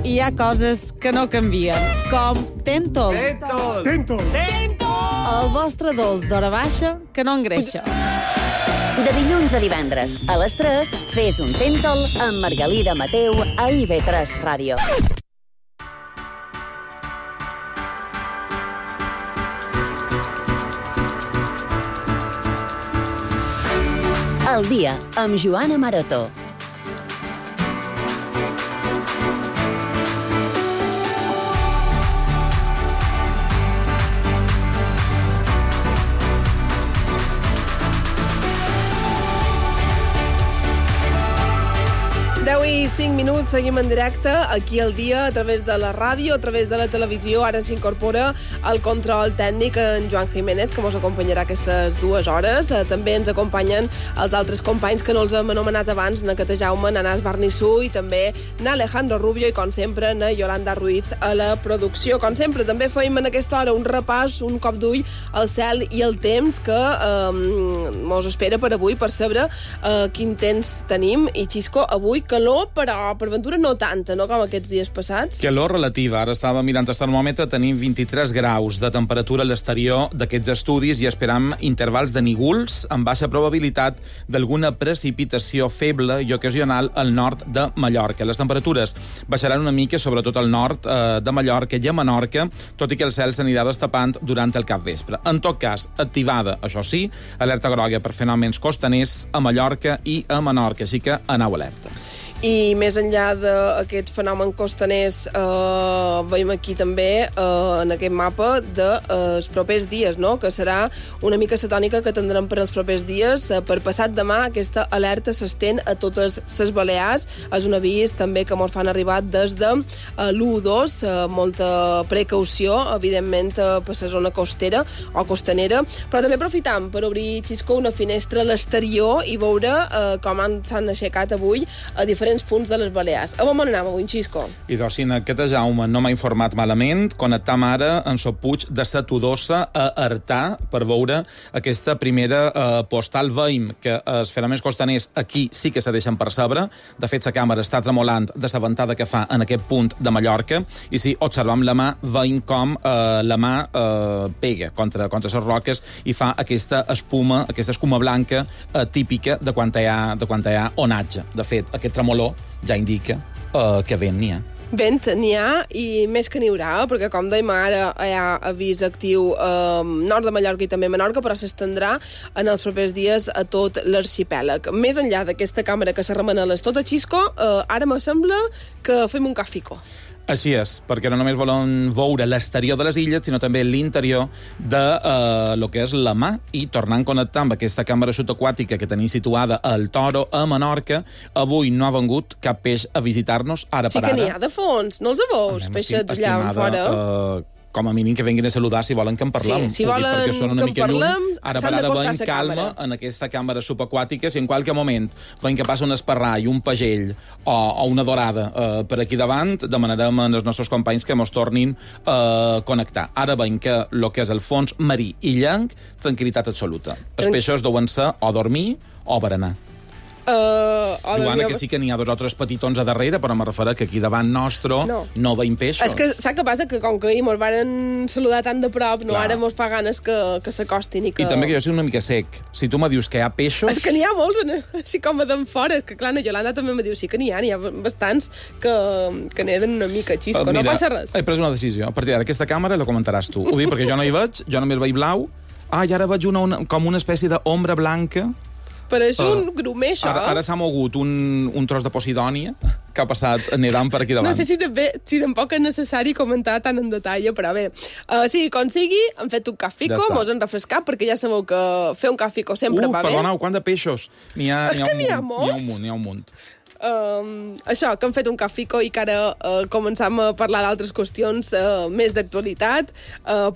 hi ha coses que no canvien, com Tentol. El vostre dolç d'hora baixa que no engreixa. De dilluns a divendres, a les 3, fes un Tentol amb Margalida Mateu a IB3 Ràdio. El dia, amb Joana Maroto. I 5 minuts, seguim en directe aquí al dia, a través de la ràdio, a través de la televisió. Ara s'incorpora el control tècnic en Joan Jiménez, que ens acompanyarà aquestes 2 hores. També ens acompanyen els altres companys que no els hem anomenat abans, na Cata Jaume, na Nas Barnissú i també na Alejandro Rubio i, com sempre, na Yolanda Ruiz a la producció. Com sempre, també feim en aquesta hora un repàs, un cop d'ull al cel i el temps que mos espera per avui, per saber quin temps tenim. I, Xisco, avui calor, però per ventura no tanta, no?, com aquests dies passats. Calor relativa. Ara estava mirant el termòmetre, tenim 23 graus de temperatura a l'exterior d'aquests estudis i esperam intervals de nígols amb baixa probabilitat d'alguna precipitació feble i ocasional al nord de Mallorca. Les temperatures baixaran una mica, sobretot al nord de Mallorca i a Menorca, tot i que el cel s'anirà destapant durant el capvespre. En tot cas, activada, això sí, alerta groga per fenòmens costaners a Mallorca i a Menorca, així que aneu alerta. I més enllà d'aquests fenòmens costaners, veiem aquí també en aquest mapa dels propers dies, no?, que serà una mica la tònica que tindrem per als propers dies. Per passat demà aquesta alerta s'estén a totes les Balears. És un avís també que ens fan arribar des de l'1-2, molta precaució, evidentment, per la zona costera o costanera, però també aprofitam per obrir, Xisco, una finestra a l'exterior i veure com s'han aixecat avui a diferents punts de les Balears. A on anem avui, Xisco? I doncs, si en Cata Jaume no m'ha informat malament, connectam ara en el puig de la Todosa a Artà per veure aquesta primera postal. Veiem que els fenòmens costaners aquí sí que se deixen percebre. De fet, la càmera està tremolant de la ventada que fa en aquest punt de Mallorca i si observam la mà, veiem com la mà pega contra les roques i fa aquesta escuma blanca típica de quan hi ha onatge. De fet, aquest tremolor ja indica que vent n'hi ha. Vent n'hi ha i més que n'hi haurà, perquè com dèiem ara hi ha avís actiu nord de Mallorca i també Menorca, però s'estendrà en els propers dies a tot l'arxipèlag. Més enllà d'aquesta càmera que se remena a l'estota, Xisco, ara me sembla que fem un cafico. Així és, perquè no només volem veure l'exterior de les illes, sinó també l'interior de lo que és la mà, i tornant a connectar amb aquesta càmera subaquàtica que tenim situada al Toro, a Menorca, avui no ha vengut cap peix a visitar-nos, ara per ara. Sí que n'hi ha de fons, no els veus, peixets allà en fora? Com a mínim que venguin a saludar si volen que en parlem. Sí, si volen perquè són una que en mica parlem, lluny. Ara per s'han ara d'acostar veiem a la calma càmera. en aquesta càmera subaquàtica. Si en qualque moment veiem que passa un esparrall, un pagell o una dorada per aquí davant, demanarem als nostres companys que mos tornin a connectar. Ara veiem que el que és el fons marí i llanc, tranquil·litat absoluta. Els peixos deuen ser o dormir o berenar. Joana, que sí que n'hi ha 2 o 3 petitons a darrere, però me refereixo que aquí davant nostre no veiem peixos. És que saps què passa? Que com que ahir mos varen saludar tan de prop, no, ara mos fa ganes que s'acostin i que... I també que jo soc una mica sec. Si tu me dius que hi ha peixos... És que n'hi ha molts, així com a d'en fora. És que clar, la Yolanda també me diu sí que n'hi ha bastants que neden una mica, Xisco. Mira, no passa res. He pres una decisió. A partir d'ara, aquesta càmera la comentaràs tu. Ho dic perquè jo no hi veig, jo només veig blau. I ara veig com una espècie d'ombra blanca. Però és un grumer, això. Ara s'ha mogut un tros de Posidònia que ha passat nedant per aquí davant. No sé si tampoc és necessari comentar tant en detall, però bé. Sí, com sigui, hem fet un cafico, mos hem refrescat, perquè ja sabeu que fer un cafico sempre va bé. Perdoneu, quant de peixos? És que n'hi ha molts. N'hi ha un munt. Això, que hem fet un cafico i que ara començam a parlar d'altres qüestions més d'actualitat,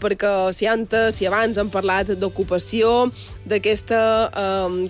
perquè si abans hem parlat d'ocupació, d'aquesta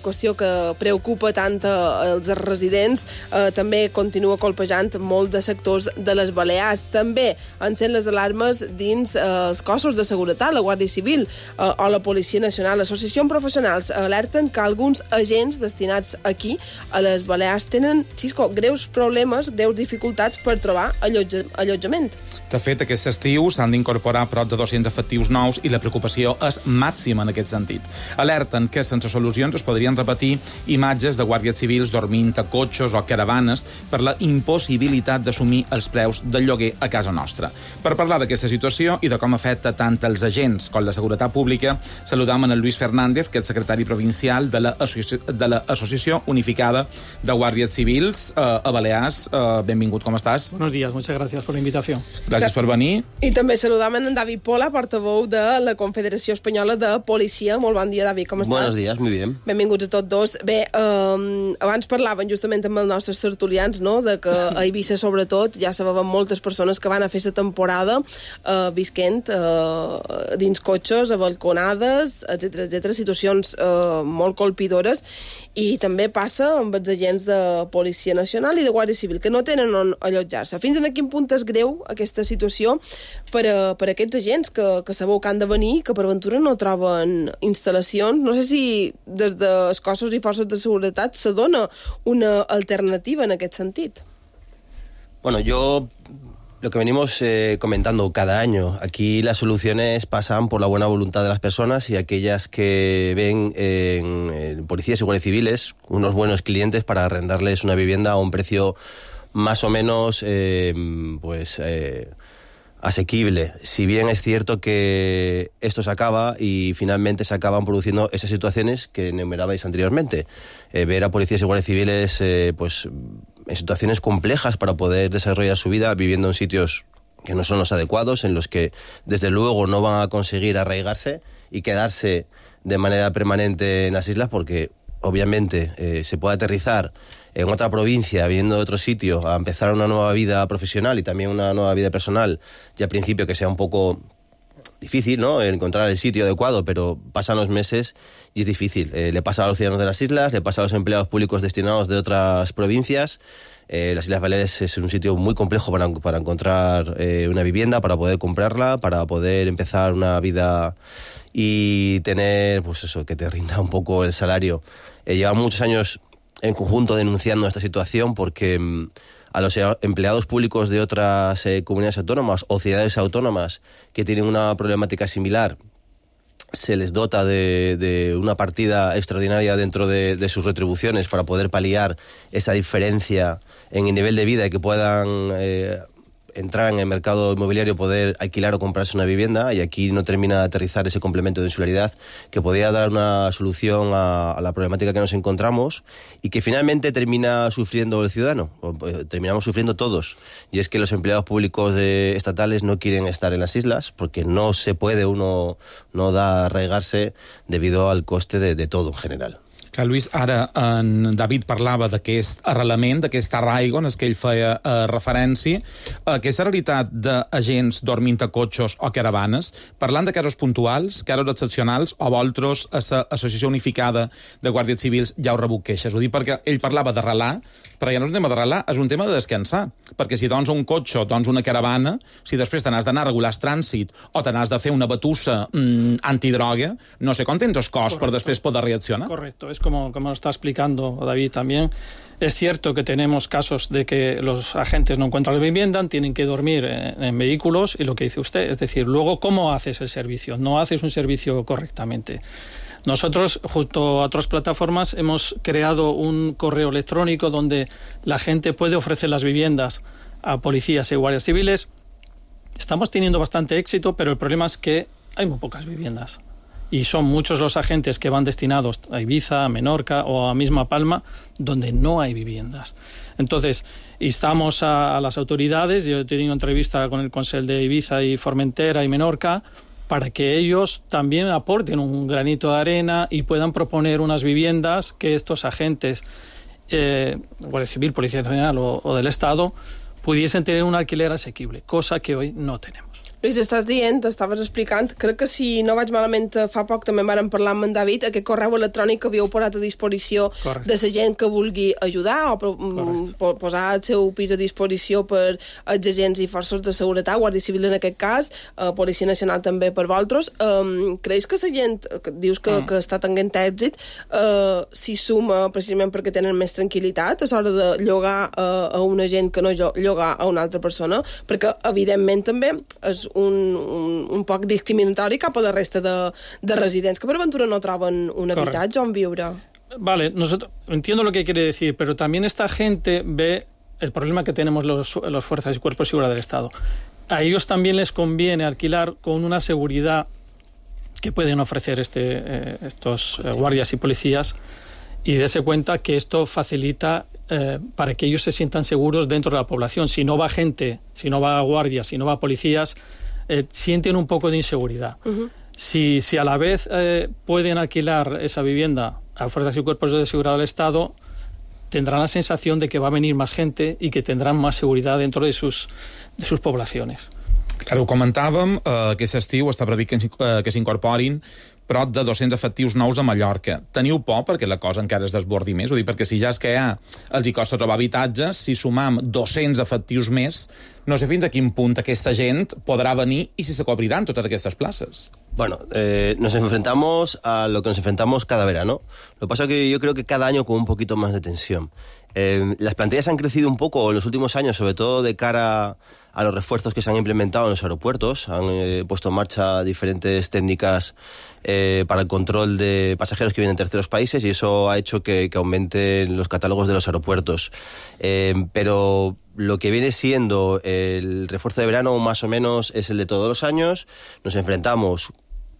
qüestió que preocupa tant els residents, també continua colpejant molt de sectors de les Balears. També encén les alarmes dins els cossos de seguretat, la Guàrdia Civil o la Policia Nacional. L'associació professionals alerten que alguns agents destinats aquí, a les Balears, tenen Xisco, greus problemes, greus dificultats per trobar allotjament. De fet, aquest estiu s'han d'incorporar prop de 200 efectius nous i la preocupació és màxima en aquest sentit. Alerten que sense solucions es podrien repetir imatges de guàrdies civils dormint a cotxes o caravanes per la impossibilitat d'assumir els preus del lloguer a casa nostra. Per parlar d'aquesta situació i de com afecta tant els agents com la seguretat pública, saludam en el Luis Fernández, que és secretari provincial de l'Associació Unificada de Guàrdies Civils a Balears. Benvingut, com estàs? Buenos días, muchas gracias por la invitación. Gràcies per venir. I també saludam en David Pola, portaveu de la Confederació Espanyola de Policia. Molt bon dia, David, com estàs? Buenos días, muy bien. Benvinguts a tots dos. Bé, abans parlaven justament amb els nostres tertulians, no?, de que a Eivissa, sobretot, ja sabem moltes persones que van a fer la temporada visquent dins cotxes, a balconades, etc, situacions molt colpidores, i també passa amb els agents de Policia Nacional i de Guàrdia Civil, que no tenen on allotjar-se. Fins a quin punt és greu aquesta situació per a aquests agents que sabeu que han de venir, que per ventura no troben instal·lacions? No sé si des dels cossos i forces de seguretat se dona una alternativa en aquest sentit. Bueno, lo que venimos comentando cada año, aquí las soluciones pasan por la buena voluntad de las personas y aquellas que ven en policías y guardias civiles unos buenos clientes para arrendarles una vivienda a un precio más o menos asequible. Si bien es cierto que esto se acaba y finalmente se acaban produciendo esas situaciones que enumerabais anteriormente. Ver a policías y guardias civiles en situaciones complejas para poder desarrollar su vida viviendo en sitios que no son los adecuados, en los que desde luego no van a conseguir arraigarse y quedarse de manera permanente en las islas, porque obviamente se puede aterrizar en otra provincia, viniendo de otro sitio, a empezar una nueva vida profesional y también una nueva vida personal, y al principio que sea un poco difícil, ¿no?, encontrar el sitio adecuado, pero pasan los meses y es difícil. Le pasa a los ciudadanos de las islas, le pasa a los empleados públicos destinados de otras provincias. Las Islas Baleares es un sitio muy complejo para encontrar una vivienda, para poder comprarla, para poder empezar una vida y tener, pues eso, que te rinda un poco el salario. Llevamos muchos años en conjunto denunciando esta situación porque a los empleados públicos de otras comunidades autónomas o ciudades autónomas que tienen una problemática similar se les dota de una partida extraordinaria dentro de sus retribuciones para poder paliar esa diferencia en el nivel de vida y que puedan entrar en el mercado inmobiliario, poder alquilar o comprarse una vivienda, y aquí no termina de aterrizar ese complemento de insularidad que podría dar una solución a la problemática que nos encontramos y que finalmente termina sufriendo el ciudadano, terminamos sufriendo todos, y es que los empleados públicos estatales no quieren estar en las islas porque no se puede, uno no da a arraigarse debido al coste de todo en general. Clar, Lluís, ara en David parlava d'aquest arrelament, d'aquest arraigo en què ell feia referència. Aquesta realitat d'agents dormint a cotxes o caravanes, parlant de casos puntuals, casos excepcionals, o vosaltres a l'Associació Unificada de Guàrdies Civils ja ho rebut queixes? Ho dic perquè ell parlava d'arrelar, però ja no és un tema d'arrelar, és un tema de descansar. Perquè si dons un cotxe o dons una caravana, si després te n'has d'anar a regular el trànsit o te n'has de fer una batussa antidroga, no sé com tens el cos per després poder reaccionar. Correcto, es como lo está explicando David también. Es cierto que tenemos casos de que los agentes no encuentran vivienda, tienen que dormir en vehículos, y lo que dice usted, es decir, luego, ¿cómo haces el servicio? No haces un servicio correctamente. Nosotros, junto a otras plataformas, hemos creado un correo electrónico donde la gente puede ofrecer las viviendas a policías y guardias civiles. Estamos teniendo bastante éxito, pero el problema es que hay muy pocas viviendas. Y son muchos los agentes que van destinados a Ibiza, a Menorca o a misma Palma, donde no hay viviendas. Entonces, instamos a las autoridades. Yo he tenido entrevista con el Consell de Ibiza y Formentera y Menorca para que ellos también aporten un granito de arena y puedan proponer unas viviendas que estos agentes, Guardia Civil, Policía Nacional o del Estado, pudiesen tener un alquiler asequible, cosa que hoy no tenemos. Lluís, estàs dient, estaves explicant, crec que si no vaig malament fa poc també vàrem parlar amb en David, aquest correu electrònic que havíeu posat a disposició de la gent que vulgui ajudar o posar el seu pis a disposició per els agents i forces de seguretat, Guàrdia Civil en aquest cas, Policia Nacional també per vosaltres. Creus que la gent, que dius que està tenint èxit, s'hi suma precisament perquè tenen més tranquil·litat a l'hora de llogar a un agent que no llogar a una altra persona? Perquè, evidentment, també és un poc discriminatori cap a la resta de residents que per aventura no troben un habitatge on viure. Vale, entiendo lo que quiere decir, pero también esta gente ve el problema que tenemos los fuerzas y cuerpos de seguridad del Estado. A ellos también les conviene alquilar con una seguridad que pueden ofrecer estos guardias y policías, y darse cuenta que esto facilita para que ellos se sientan seguros dentro de la población. Si no va gente, si no va guardias, si no va policías, sienten un poco de inseguridad. Si a la vez pueden alquilar esa vivienda a fuerzas y cuerpos de seguridad del Estado, tendrán la sensación de que va a venir más gente y que tendrán más seguridad dentro de sus poblaciones. Claro, ho comentàvem, aquest estiu està previst que s'incorporin prop de 200 efectius nous a Mallorca. Teniu por perquè la cosa encara es desbordi més? Ho dic perquè si ja és que els hi costa trobar habitatges, si sumam 200 efectius més, no sé fins a quin punt aquesta gent podrà venir i si se cobriran totes aquestes places. Bueno, nos enfrentamos a lo que nos enfrentamos cada verano. Lo que pasa es que yo creo que cada año con un poquito más de tensión. Las plantillas han crecido un poco en los últimos años, sobre todo de cara a los refuerzos que se han implementado en los aeropuertos. Han puesto en marcha diferentes técnicas para el control de pasajeros que vienen de terceros países y eso ha hecho que aumenten los catálogos de los aeropuertos. Pero lo que viene siendo el refuerzo de verano más o menos es el de todos los años. Nos enfrentamos,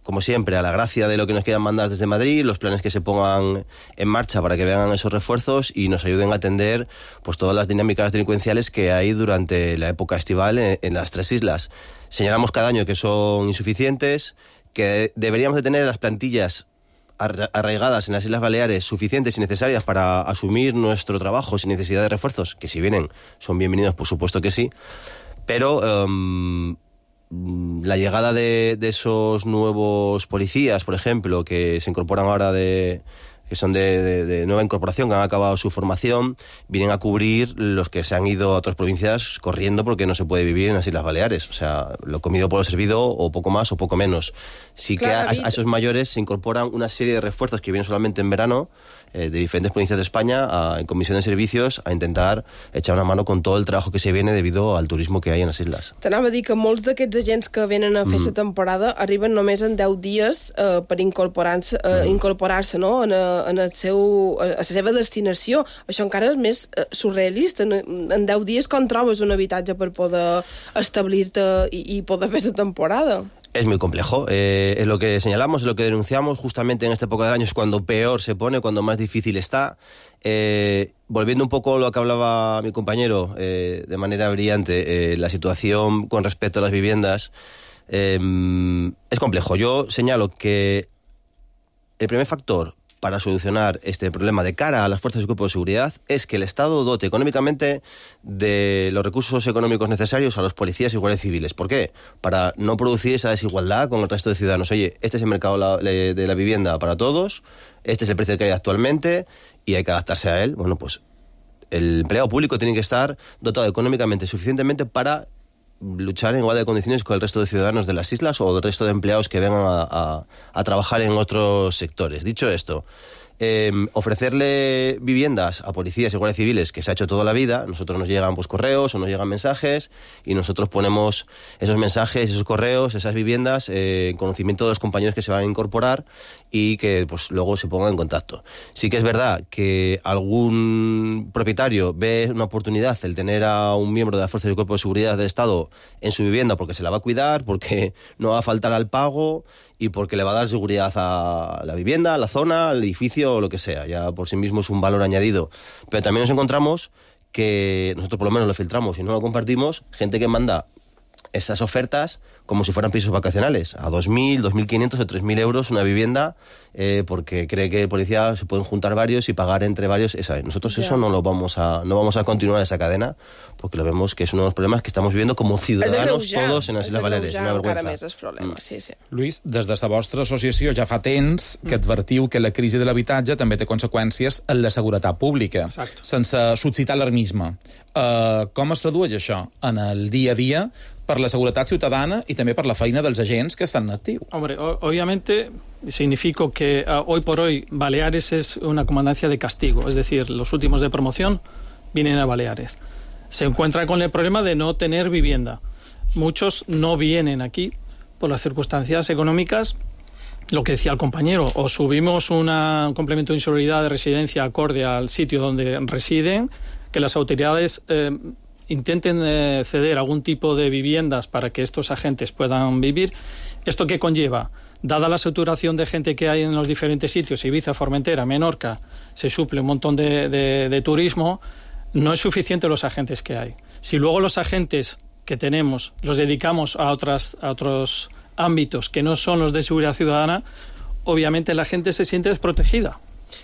como siempre, a la gracia de lo que nos quieran mandar desde Madrid, los planes que se pongan en marcha para que vengan esos refuerzos y nos ayuden a atender pues todas las dinámicas delincuenciales que hay durante la época estival en las tres islas. Señalamos cada año que son insuficientes, que deberíamos de tener las plantillas arraigadas en las Islas Baleares suficientes y necesarias para asumir nuestro trabajo sin necesidad de refuerzos, que si vienen son bienvenidos, por supuesto que sí, pero la llegada de esos nuevos policías, por ejemplo, que se incorporan ahora que son de nueva incorporación, que han acabado su formación, vienen a cubrir los que se han ido a otras provincias corriendo porque no se puede vivir en las Islas Baleares. O sea, lo comido por lo servido, o poco más o poco menos. Sí, claro, que a esos mayores se incorporan una serie de refuerzos que vienen solamente en verano, de diferentes provincias de España, en comisión de servicios, a intentar echar una mano con todo el trabajo que se viene debido al turismo que hay en las islas. T'anava a dir que molts d'aquests agents que venen a fer la temporada arriben només en 10 dies per incorporar-se no? a la seva destinació. Això encara és més surrealista. En 10 dies com trobes un habitatge per poder establir-te i poder fer la temporada? Es muy complejo. Es lo que señalamos, es lo que denunciamos justamente en esta época del año, es cuando peor se pone, cuando más difícil está. Volviendo un poco a lo que hablaba mi compañero de manera brillante, la situación con respecto a las viviendas, es complejo. Yo señalo que el primer factor para solucionar este problema de cara a las fuerzas y cuerpos de seguridad es que el Estado dote económicamente de los recursos económicos necesarios a los policías y guardias civiles. ¿Por qué? Para no producir esa desigualdad con el resto de ciudadanos. Oye, este es el mercado de la vivienda para todos, este es el precio que hay actualmente y hay que adaptarse a él. Bueno, pues el empleado público tiene que estar dotado económicamente suficientemente para luchar en igualdad de condiciones con el resto de ciudadanos de las islas o el resto de empleados que vengan a trabajar en otros sectores. Dicho esto, ofrecerle viviendas a policías y guardias civiles, que se ha hecho toda la vida. Nosotros nos llegan pues correos o nos llegan mensajes y nosotros ponemos esos mensajes, esos correos, esas viviendas en conocimiento de los compañeros que se van a incorporar y que pues luego se pongan en contacto. Sí que es verdad que algún propietario ve una oportunidad el tener a un miembro de las fuerzas y cuerpos de seguridad del Estado en su vivienda porque se la va a cuidar, porque no va a faltar al pago y porque le va a dar seguridad a la vivienda, a la zona, al edificio o lo que sea. Ya por sí mismo es un valor añadido. Pero también nos encontramos que nosotros por lo menos lo filtramos y no lo compartimos, gente que manda esas ofertas como si fueran pisos vacacionales, a 2.000, 2.500 o 3.000 euros una vivienda, porque cree que el policía se pueden juntar varios y pagar entre varios. Nosotros eso no vamos a continuar esa cadena, porque lo vemos que es uno de los problemas que estamos viviendo como ciudadanos todos en les Illes Balears. Una vergüenza. Lluís, des de la vostra associació ja fa temps que advertiu que la crisi de l'habitatge també té conseqüències en la seguretat pública. Exacto. Sense suscitar alarmisme. Com es tradueix això en el dia a dia per la seguretat ciutadana y també per la feina dels agents que estan en actiu? Hombre, obviamente significa que hoy por hoy Baleares es una comandancia de castigo, es decir, los últimos de promoción vienen a Baleares. Se encuentra con el problema de no tener vivienda. Muchos no vienen aquí por las circunstancias económicas. Lo que decía el compañero, o subimos un complemento de insalubridad de residencia acorde al sitio donde residen, que las autoridades intenten ceder algún tipo de viviendas para que estos agentes puedan vivir. ¿Esto qué conlleva? Dada la saturación de gente que hay en los diferentes sitios, Ibiza, Formentera, Menorca, se suple un montón de turismo, no es suficiente los agentes que hay. Si luego los agentes que tenemos los dedicamos a otros ámbitos que no son los de seguridad ciudadana, obviamente la gente se siente desprotegida.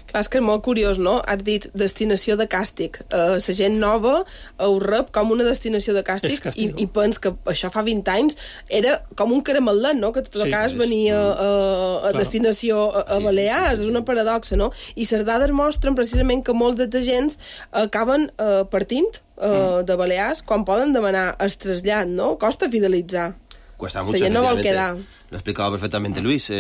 Clar, és que és molt curiós, no? Has dit destinació de càstig. La gent nova ho rep com una destinació de càstig i pens que això fa 20 anys era com un caramelet, no? Que tot cas venia a destinació a Balears. És una paradoxa, no? I les dades mostren precisament que molts dels agents acaben partint de Balears quan poden demanar el trasllat, no? Costa fidelitzar. Cuesta mucho, no vol quedar. Lo ha explicado perfectamente Luis.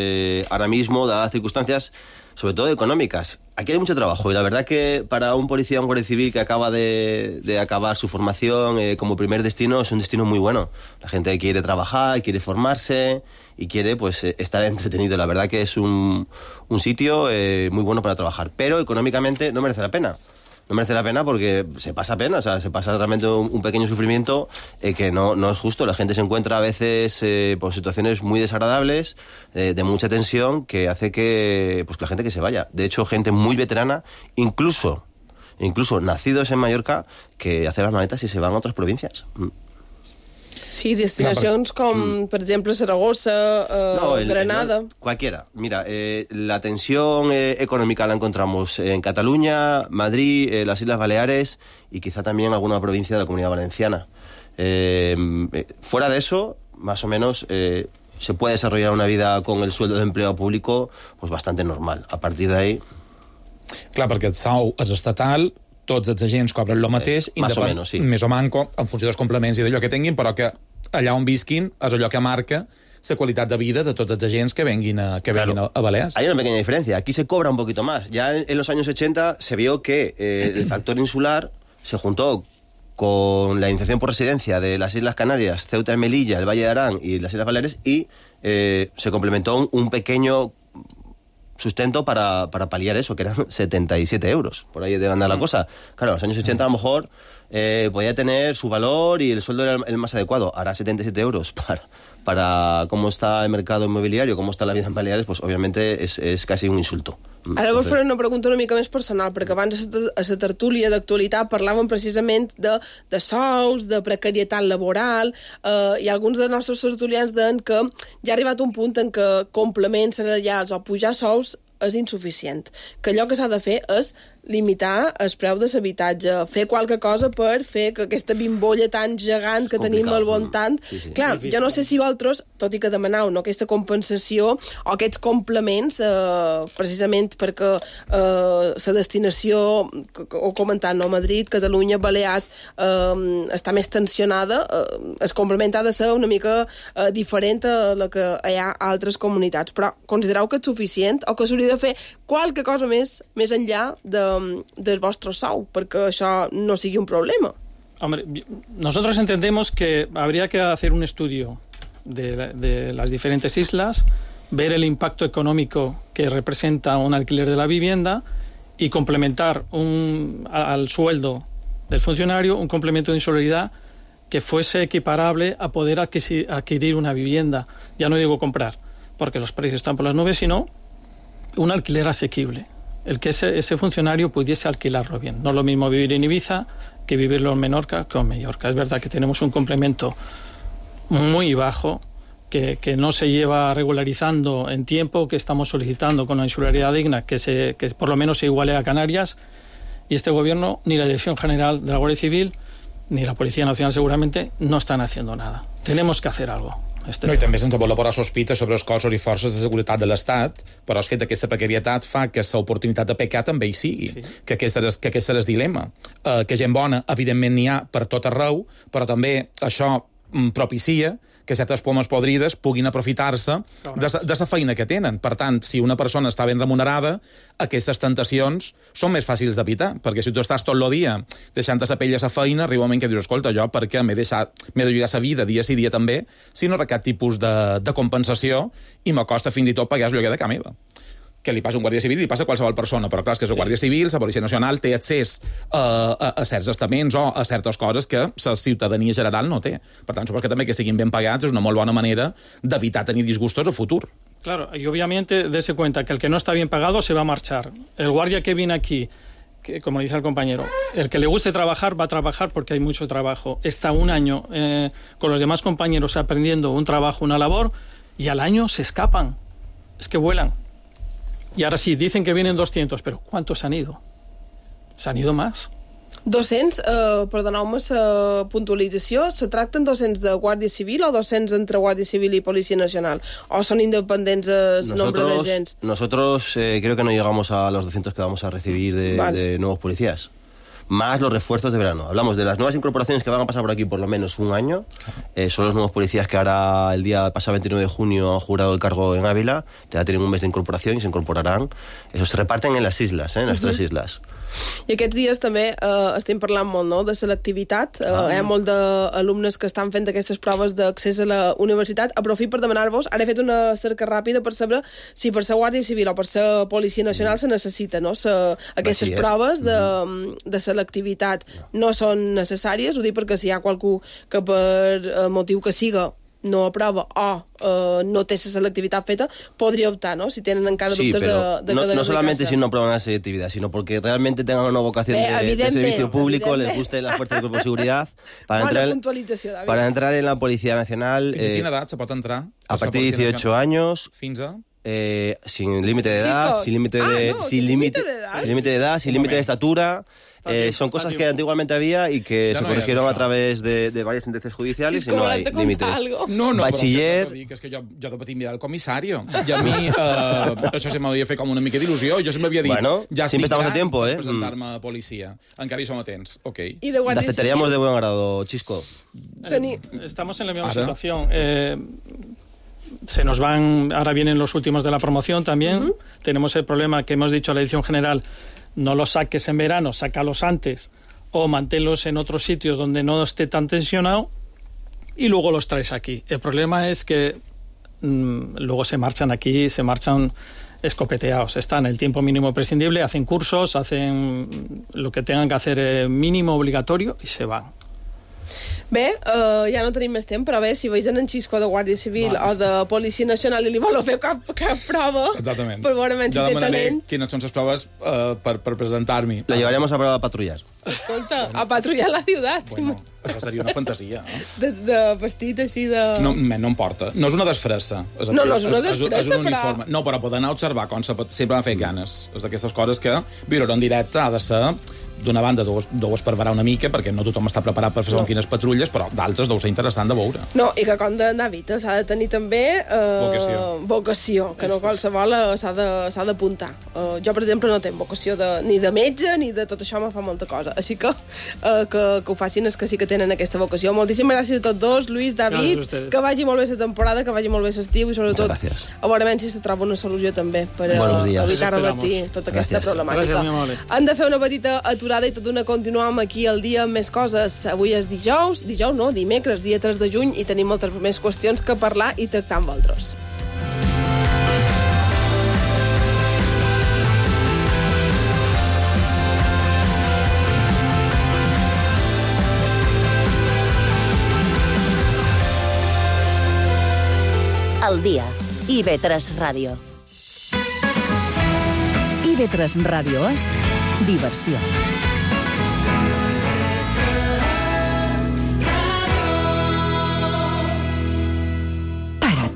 Ahora mismo, dadas las circunstancias, sobre todo económicas, aquí hay mucho trabajo y la verdad que para un policía, un guardia civil que acaba de acabar su formación como primer destino, es un destino muy bueno. La gente quiere trabajar, quiere formarse y quiere pues estar entretenido. La verdad que es un sitio muy bueno para trabajar, pero económicamente no merece la pena. No merece la pena porque se pasa pena, o sea, se pasa realmente un pequeño sufrimiento que no es justo. La gente se encuentra a veces por situaciones muy desagradables, de mucha tensión, que hace que la gente que se vaya. De hecho, gente muy veterana, incluso nacidos en Mallorca, que hacen las maletas y se van a otras provincias. Sí, destinacions com, per exemple, Zaragoza, Granada. Cualquiera. Mira, la tensión económica la encontramos en Cataluña, Madrid, las Islas Baleares y quizá también alguna provincia de la Comunidad Valenciana. Fuera de eso, más o menos, se puede desarrollar una vida con el sueldo de empleado público pues bastante normal. A partir de ahí... Clar, perquè el sou és estatal, tots els agents cobren el mateix, més o menys, sí. Més o manco, en funció dels complements i d'allò que tinguin, però que allà on visquin és allò que marca la qualitat de vida de tots els agents que venguin a Balears. Hay una pequeña diferencia. Aquí se cobra un poquito más. Ya en los años 80 se vio que el factor insular se juntó con la iniciación por residencia de las Islas Canarias, Ceuta y Melilla, el Valle de Arán y las Islas Baleares y se complementó un pequeño sustento para paliar eso, que eran 77 euros. Por ahí debe andar la cosa. Claro, en los años 80 a lo mejor podía tener su valor y el sueldo era el más adecuado. Ahora 77 euros para cómo está el mercado inmobiliario, cómo está la vida en Baleares, pues obviamente es casi un insulto. Ara vos faré una pregunta una mica més personal, perquè abans a la tertúlia d'actualitat parlàvem precisament de sous, de precarietat laboral, i alguns dels nostres tertulians deien que ja ha arribat un punt en què complements salarials o pujar sous és insuficient, que allò que s'ha de fer és limitar el preu de l'habitatge, fer qualque cosa per fer que aquesta bimbolla tan gegant que tenim al voltant... Sí. Clar, jo no sé si vosaltres, tot i que demaneu aquesta compensació o aquests complements, precisament perquè la destinació, ho comentant, no? Madrid, Catalunya, Balears, està més tensionada, el complement ha de ser una mica diferent a la que hi ha a altres comunitats. Però considereu que és suficient o que s'hauria de fer qualque cosa més enllà del vostre sou, perquè això no sigui un problema? Hombre, nosotros entendemos que habría que hacer un estudio de las diferentes islas, ver el impacto económico que representa un alquiler de la vivienda y complementar al sueldo del funcionario un complemento de insularidad que fuese equiparable a poder adquirir una vivienda. Ya no digo comprar, porque los precios están por las nubes, sino un alquiler asequible. El que ese funcionario pudiese alquilarlo bien. No es lo mismo vivir en Ibiza que vivirlo en Menorca que en Mallorca. Es verdad que tenemos un complemento muy bajo, que no se lleva regularizando en tiempo, que estamos solicitando con una insularidad digna que por lo menos se iguale a Canarias, y este gobierno, ni la Dirección General de la Guardia Civil, ni la Policía Nacional segurament no estan haciendo nada. Tenemos que hacer algo. No, i també sense voler posar sospita sobre els cossos i forces de seguretat de l'Estat, però el fet d'aquesta precarietat fa que l'oportunitat de pecar també hi sigui, sí. que aquest és el dilema. Que gent bona, evidentment, n'hi ha per tot arreu, però també això propicia que certes pomes podrides puguin aprofitar-se de la feina que tenen. Per tant, si una persona està ben remunerada, aquestes tentacions són més fàcils d'evitar, perquè si tu estàs tot el dia deixant-te la pell a la feina, arriba un moment que dius, escolta, jo perquè m'he de jugar la vida dia sí dia també, si no re cap tipus de compensació i m'acosta fins i tot pagar el lloguer de casa meva. Que li passa a un guàrdia civil i li passa a qualsevol persona, però clar, és que la Guàrdia Civil, la Policia Nacional, té accés a certs estaments o a certes coses que la ciutadania general no té. Per tant, suposo que també que siguin ben pagats és una molt bona manera d'evitar tenir disgustos a futur. Claro, y obviamente dése cuenta que el que no está bien pagado se va a marchar. El guardia que viene aquí, que, como dice el compañero, el que le guste trabajar va a trabajar porque hay mucho trabajo. Está un año con los demás compañeros aprendiendo un trabajo, una labor, y al año se escapan. Es que vuelan. Y ahora sí, dicen que vienen 200, pero ¿cuántos han ido? ¿Se han ido más? 200, perdoneu-me la puntualització, se tracten 200 de Guàrdia Civil o 200 entre Guàrdia Civil y Policía Nacional? ¿O son independents el nombre de agents? Nosotros creo que no llegamos a los 200 que vamos a recibir de nuevos policías. Más los refuerzos de verano. Hablamos de las nuevas incorporaciones que van a pasar por aquí por lo menos un año. Son los nuevos policías que ahora, el día pasado 29 de junio, han jurado el cargo en Ávila. Ya tienen un mes de incorporación y se incorporarán. Esos se reparten en las islas, en las 3 islas. I aquests dies també estem parlant molt, no?, de selectivitat. Hi ha molt d'alumnes que estan fent aquestes proves d'accés a la universitat. Aprofito per demanar-vos, ara he fet una cerca ràpida per saber si per ser Guàrdia Civil o per ser Policia Nacional se necessita, no?, aquestes proves de selectivitat no són necessàries. Ho dic perquè si hi ha qualcú que per motiu que siga no aprova o no té esa selectividad feta, podría optar, ¿no? Si tienen encara dubtes de no solamente si no aprueban la selectividad, sino porque realmente tengan una vocación de servicio público, les guste la fuerza del cuerpo de seguridad, para entrar en la Policía Nacional. ¿Fins a quina edat se pot entrar? A partir de 18 años. Fins a? Sin límite de edad, sin límite de edad, sin límite de estatura. Son cosas que antiguamente había y que se corrigieron a través de varias sentencias judiciales y no hay límites. No, Bachiller... Però és que jo de petit mirava el comissari i a mi això se m'havia fet com una mica d'il·lusió. Jo sempre havia dit, bueno, ja estic estamos a tiempo, presentar-me a policia. Encara hi som a temps, ok. Te aceptaríamos de buen grado, Chisco. Estamos en la misma situación. Se nos van, ahora vienen los últimos de la promoción también. Tenemos el problema que hemos dicho a la Dirección General, no los saques en verano, sácalos antes o manténlos en otros sitios donde no esté tan tensionado y luego los traes aquí. El problema es que luego se marchan aquí, se marchan escopeteados. Están el tiempo mínimo prescindible, hacen cursos, hacen lo que tengan que hacer mínimo obligatorio y se van. Bé, ja no tenim més temps, però bé, si veus en Xisco de Guàrdia Civil o de Policia Nacional i li voleu fer cap prova, exactament, per veure si té talent. Quines són les proves per presentar-me. La llevaremos a prueba a patrullar. Escolta, a patrullar la ciutat. Bueno, això seria una fantasia, no? De vestit així de... No em porta. No és una desfressa. No és una desfressa, és un uniforme. No, però poder anar a observar com sempre m'ha fet ganes. És d'aquestes coses que viure en directe ha de ser d'una banda, deu esperverar una mica, perquè no tothom està preparat per fer quines patrulles, però d'altres deu ser interessant de veure. No, i que com d'anar a Vita s'ha de tenir també vocació, que no qualsevol s'ha d'apuntar. Jo, per exemple, no tenc vocació ni de metge, ni de tot això, me fa molta cosa. Així que ho facin els que sí que tenen aquesta vocació. Moltíssimes gràcies a tots dos, Lluís, David, que vagi molt bé la temporada, que vagi molt bé l'estiu i sobretot a veure si se troba una solució també per evitar revertir tota aquesta problemàtica. Han de fer una petita aturada i tot d'una continuam aquí al dia amb més coses. Avui és dimecres, dia 3 de juny, i tenim moltes més qüestions que parlar i tractar amb vosaltres. El dia. IB3 Ràdio. IB3 Ràdio és diversió.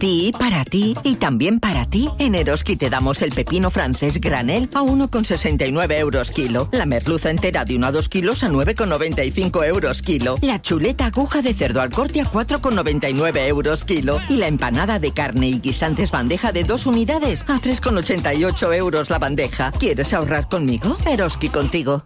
ti, para ti y también para ti. En Eroski te damos el pepino francés granel a 1,69 euros kilo. La merluza entera de 1 a 2 kilos a 9,95 euros kilo. La chuleta aguja de cerdo al corte a 4,99 euros kilo. Y la empanada de carne y guisantes bandeja de 2 unidades a 3,88 euros la bandeja. ¿Quieres ahorrar conmigo? Eroski contigo.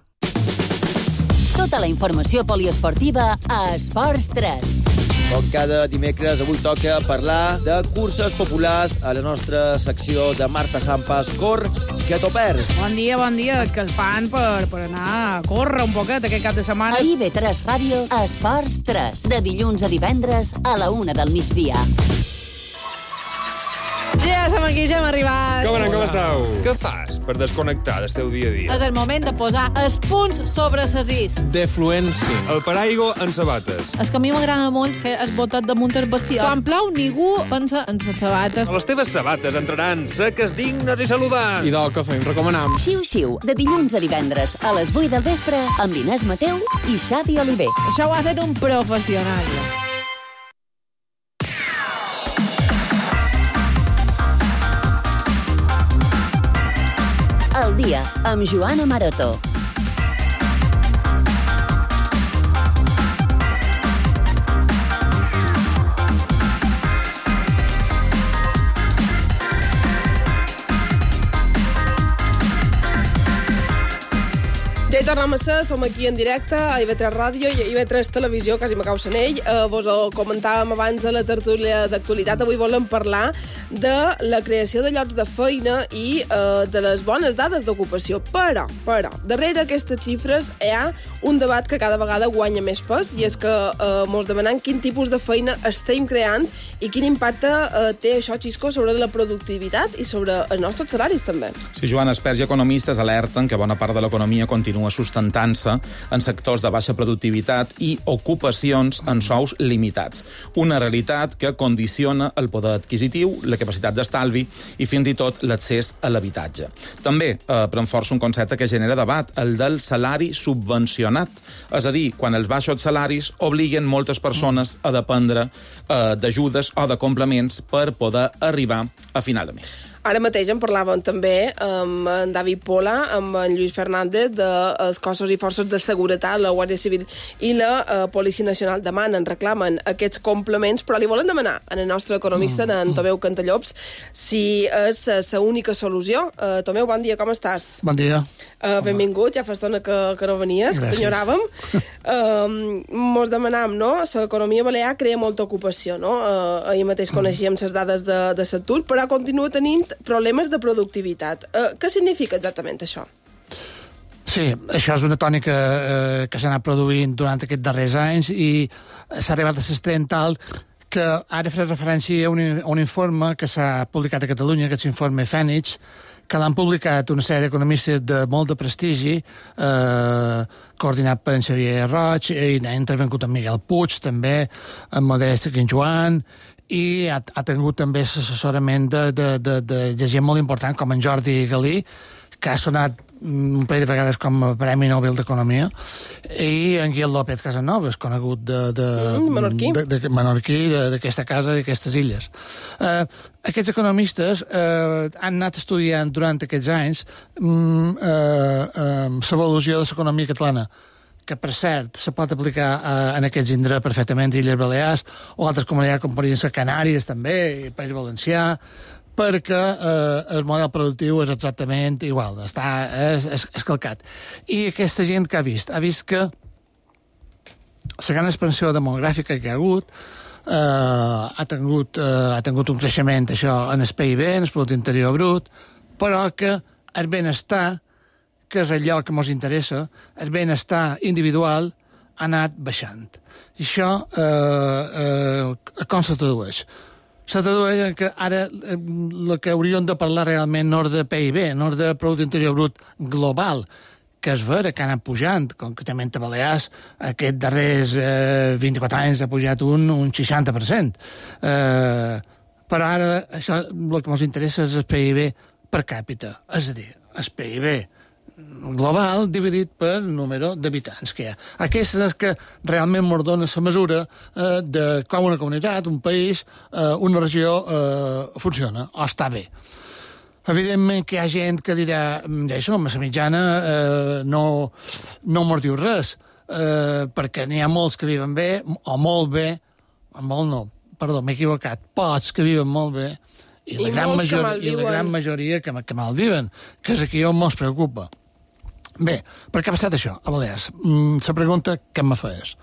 Tota la informació poliesportiva a Esports 3. Com cada dimecres, avui toca parlar de curses populars a la nostra secció de Marta Sampas. Cor, que t'ho perds. Bon dia. És que el fan per anar a córrer un poquet aquest cap de setmana. A IB3 Ràdio, Esports 3. De dilluns a divendres a la 1 del migdia. Ja som aquí, ja hem arribat. Com esteu? Què fas per desconnectar del teu dia a dia? És el moment de posar els punts sobre les is. Defluència. El paraigua en sabates. És que a mi m'agrada molt fer el botet damunt el bestiar. Quan plou, ningú pensa en les sabates. Les teves sabates entraran seques, dignes i saludants. I del que fem, recomanam. Xiu-xiu, de dilluns a divendres a les 8 del vespre amb Inés Mateu i Xavi Oliver. Això ho ha fet un professional. El dia amb Joana Maroto. Ja hi tornem a ser, som aquí en directe a IB3 Ràdio i a IB3 Televisió, quasi m'acau sent ell. Vos ho comentàvem abans de la tertúlia d'actualitat. Avui volem parlar de la creació de llocs de feina i de les bones dades d'ocupació. Però, darrere aquestes xifres hi ha un debat que cada vegada guanya més pes, i és que mos demanem quin tipus de feina estem creant i quin impacte té això, Xisco, sobre la productivitat i sobre els nostres salaris, també. Sí, Joan, experts i economistes alerten que bona part de l'economia continua sustentant-se en sectors de baixa productivitat i ocupacions en sous limitats. Una realitat que condiciona el poder adquisitiu, la capacitat d'estalvi i fins i tot l'accés a l'habitatge. També pren força un concepte que genera debat, el del salari subvencionat. És a dir, quan els baixos salaris obliguen moltes persones a dependre d'ajudes o de complements per poder arribar a final de mes. Ara mateix en parlàvem també amb en David Pola, amb en Lluís Fernández, dels cossos i forces de seguretat, la Guàrdia Civil i la Policia Nacional demanen, reclamen aquests complements, però li volen demanar a el nostre economista, en Tomeu Cantallops, si és la única solució. Tomeu, bon dia, com estàs? Bon dia. Benvingut, ja fa estona que no venies, que t'enyoràvem. Mos demanam, no? L'economia balear crea molta ocupació, no? Ahir mateix coneixíem les dades de l'atur, però continua tenint problemes de productivitat. Què significa exactament això? Sí, això és una tònica que s'ha anat produint durant aquests darrers anys i s'ha arribat a l'extrem tal que ara faré referència a un informe que s'ha publicat a Catalunya, aquest informe Fènix, que l'han publicat una sèrie d'economistes de molt de prestigi, coordinat per en Xavier Roig, i ha intervingut en Miguel Puig, també, en Modest Quinjoan, i ha tingut també l'assessorament de gent molt important com en Jordi Galí, que ha sonat un parell de vegades com a Premi Nobel d'Economia, i en Guillem López Casanovas, conegut menorquí d'aquesta casa i d'aquestes illes. Aquests economistes han anat estudiant durant aquests anys l'evolució de l'economia catalana, que, per cert, se pot aplicar en aquests indrets perfectament, Illes Balears, o altres comunitats com podrien ser Canàries, també, i País Valencià, perquè el model productiu és exactament igual, és calcat. I aquesta gent que ha vist que la gran expansió demogràfica que hi ha hagut ha tingut un creixement, això, en el PIB, en el Producte Interior Brut, però que el benestar, que és allò que ens interessa, el benestar individual ha anat baixant. I això com se tradueix? Se tradueix en que ara el que hauríem de parlar realment no és de PIB, no és de Producte Interior Brut global, que és vera que ha anat pujant, concretament a Balears, aquests darrers 24 anys ha pujat un 60%. Però ara això, el que ens interessa és el PIB per càpita, és a dir, el PIB global dividit per número d'habitants que hi ha. Aquesta és que realment ens dona la mesura de com una comunitat, un país, una regió funciona o està bé. Evidentment que hi ha gent que dirà això, la mitjana no mos diu res, perquè n'hi ha molts que viven bé, o molt bé, molt no, perdó, m'he equivocat, pocs que viven molt bé, i la gran majoria que malviven, que és aquí on mos preocupa. Bé, per què ha passat això a Balears? La pregunta que me feies.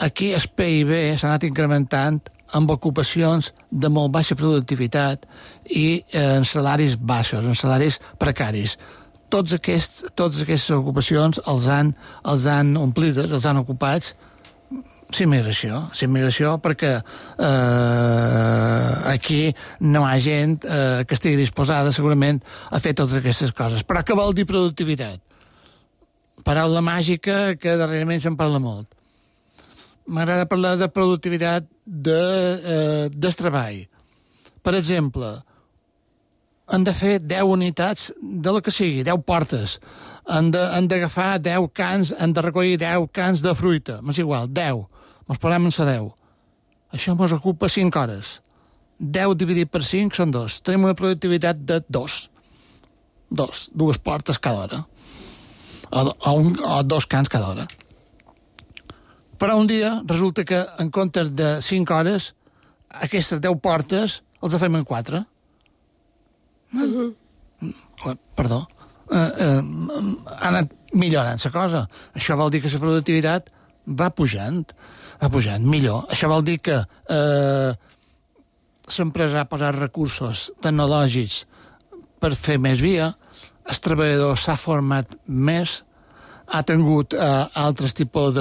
Aquí el PIB s'ha anat incrementant amb ocupacions de molt baixa productivitat i en salaris baixos, en salaris precaris. Tots aquestes ocupacions els han omplides, els han ocupats s'immigració perquè aquí no hi ha gent que estigui disposada segurament a fer totes aquestes coses. Però què vol dir productivitat? Paraula màgica que darrerament se'n parla molt. M'agrada parlar de productivitat del treball. Per exemple, han de fer 10 unitats de lo que sigui, 10 portes. Han d'agafar 10 cans, han de recollir 10 cans de fruita. M'és igual, 10. Ens posem en la 10. Això ens ocupa 5 hores. 10 dividit per 5 són 2. Tenim una productivitat de 2. 2 portes cada hora. O 2 cans cada hora. Però un dia resulta que en comptes de 5 hores, aquestes 10 portes els fem en 4. Perdó. Ha anat millorant la cosa. Això vol dir que la productivitat va pujant millor. Això vol dir que l'empresa ha posat recursos tecnològics per fer més via, el treballador s'ha format més, ha tingut altres tipus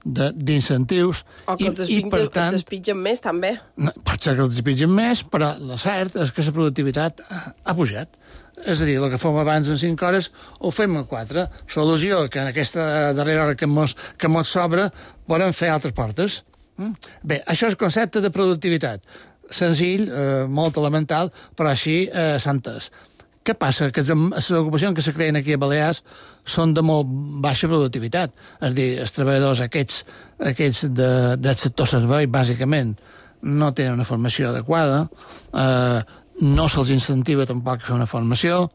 d'incentius. O que els despitgen més, també. Pot ser que els despitgen més, però el cert és que la productivitat ha pujat. És a dir, el que fem abans en 5 hores ho fem en 4. Solució que en aquesta darrera hora que mos sobra podem fer altres portes. Bé, això és el concepte de productivitat. Senzill, molt elemental, però així s'ha entès. Què passa? Que les ocupacions que se creen aquí a Balears són de molt baixa productivitat. És a dir, els treballadors aquests del sector servei, bàsicament, no tenen una formació adequada, no se'ls incentiva tampoc a fer una formació,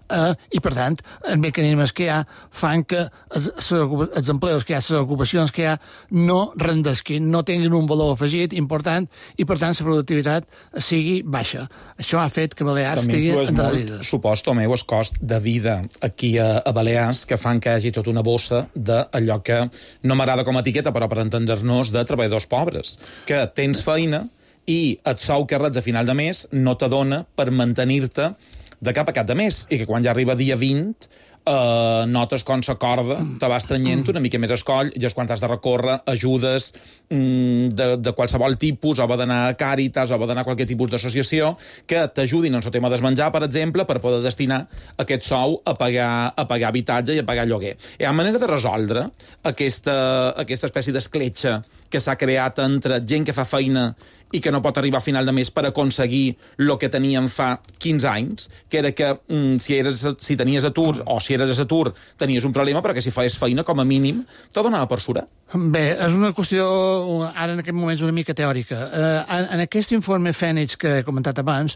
i, per tant, els mecanismes que hi ha fan que els empleos que hi ha, les ocupacions que hi ha, no rendesquin, no tinguin un valor afegit important i, per tant, la productivitat sigui baixa. Això ha fet que Balears estigui endarrerida. Suposo, meu, el cost de vida aquí a Balears que fan que hi hagi tota una bossa d'allò que no m'agrada com a etiqueta, però per entendre-nos, de treballadors pobres, que tens feina i el sou que reps a final de mes no t'adona per mantenir-te de cap a cap de mes, i que quan ja arriba dia 20 notes com la corda te va estrenyent una mica més escoll, i és quan has de recórrer ajudes de qualsevol tipus, o va d'anar a Càritas, o va d'anar a qualsevol tipus d'associació que t'ajudin en el tema del menjar, per exemple, per poder destinar aquest sou a pagar habitatge i a pagar lloguer. Hi ha manera de resoldre aquesta espècie d'escletxa que s'ha creat entre gent que fa feina i que no pot arribar a final de mes per aconseguir el que teníem fa 15 anys, que era que si tenies atur o si eres a atur tenies un problema, però que si feies feina, com a mínim, te donava per surar. Bé, és una qüestió, ara en aquest moment, una mica teòrica. En aquest informe Fènix que he comentat abans,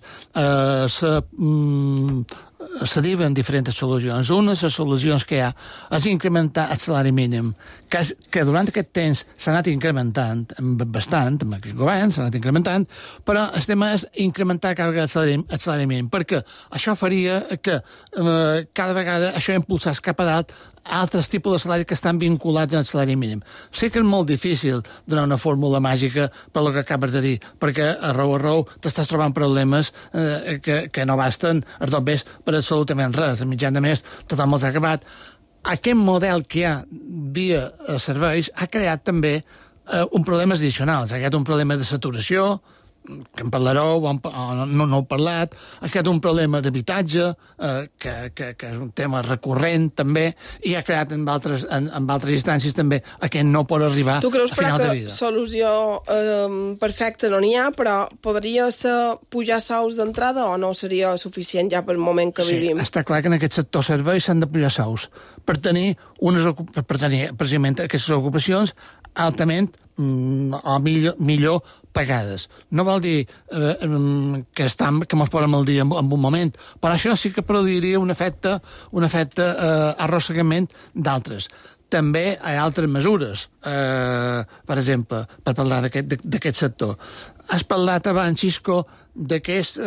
se diuen diferents solucions. Una de les solucions que hi ha és incrementar el salari mínim, que durant aquest temps s'ha anat incrementant bastant, amb aquest govern s'ha anat incrementant, però el tema és incrementar cada vegada el salari mínim, perquè això faria que cada vegada això impulsés cap a dalt altres tipus de salari que estan vinculats al salari mínim. Sé que és molt difícil donar una fórmula màgica per el que acabes de dir, perquè a raó t'estàs trobant problemes que no basten a tot bé per absolutament res. A mitjan de mes tothom els ha acabat. Aquest model que hi ha via serveis ha creat també un problemes addicionals. Ha creat un problema de saturació, que en parlareu, o no heu parlat, aquest un problema d'habitatge, que és un tema recurrent també, i ha creat en altres instàncies també aquest no pot arribar a final de vida. Tu creus que solució perfecta no n'hi ha, però podria ser pujar sous d'entrada o no seria suficient ja pel moment que vivim? Sí, està clar que en aquest sector serveis s'han de pujar sous per tenir precisament aquestes ocupacions altament o millor pagades. No vol dir que ens posem al dia en un moment, però això sí que produiria un efecte arrossegament d'altres. També hi ha altres mesures, per exemple, per parlar d'aquest sector. Has parlat abans, Xisco, d'aquests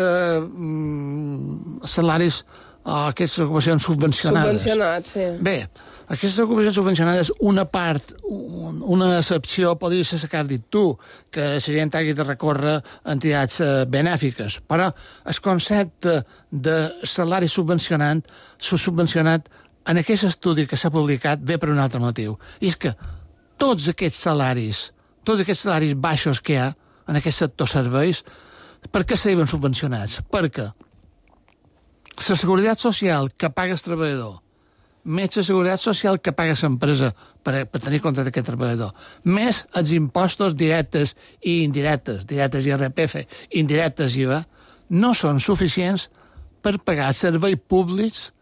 salaris o aquestes ocupacions subvencionades. Subvencionats, sí. Bé, aquestes ocupacions subvencionades, una part, una excepció, podria ser la que has dit tu, que la gent hagi de recórrer a entitats benèfiques, però el concepte de salari subvencionat en aquest estudi que s'ha publicat ve per un altre motiu. I és que tots aquests salaris baixos que hi ha en aquest sector serveis, per què s'han subvencionats? Perquè la seguretat social que paga el treballador, més la seguretat social que paga l'empresa per tenir compte d'aquest treballador, més els impostos directes i indirectes, directes IRPF, indirectes IVA, no són suficients per pagar els serveis públics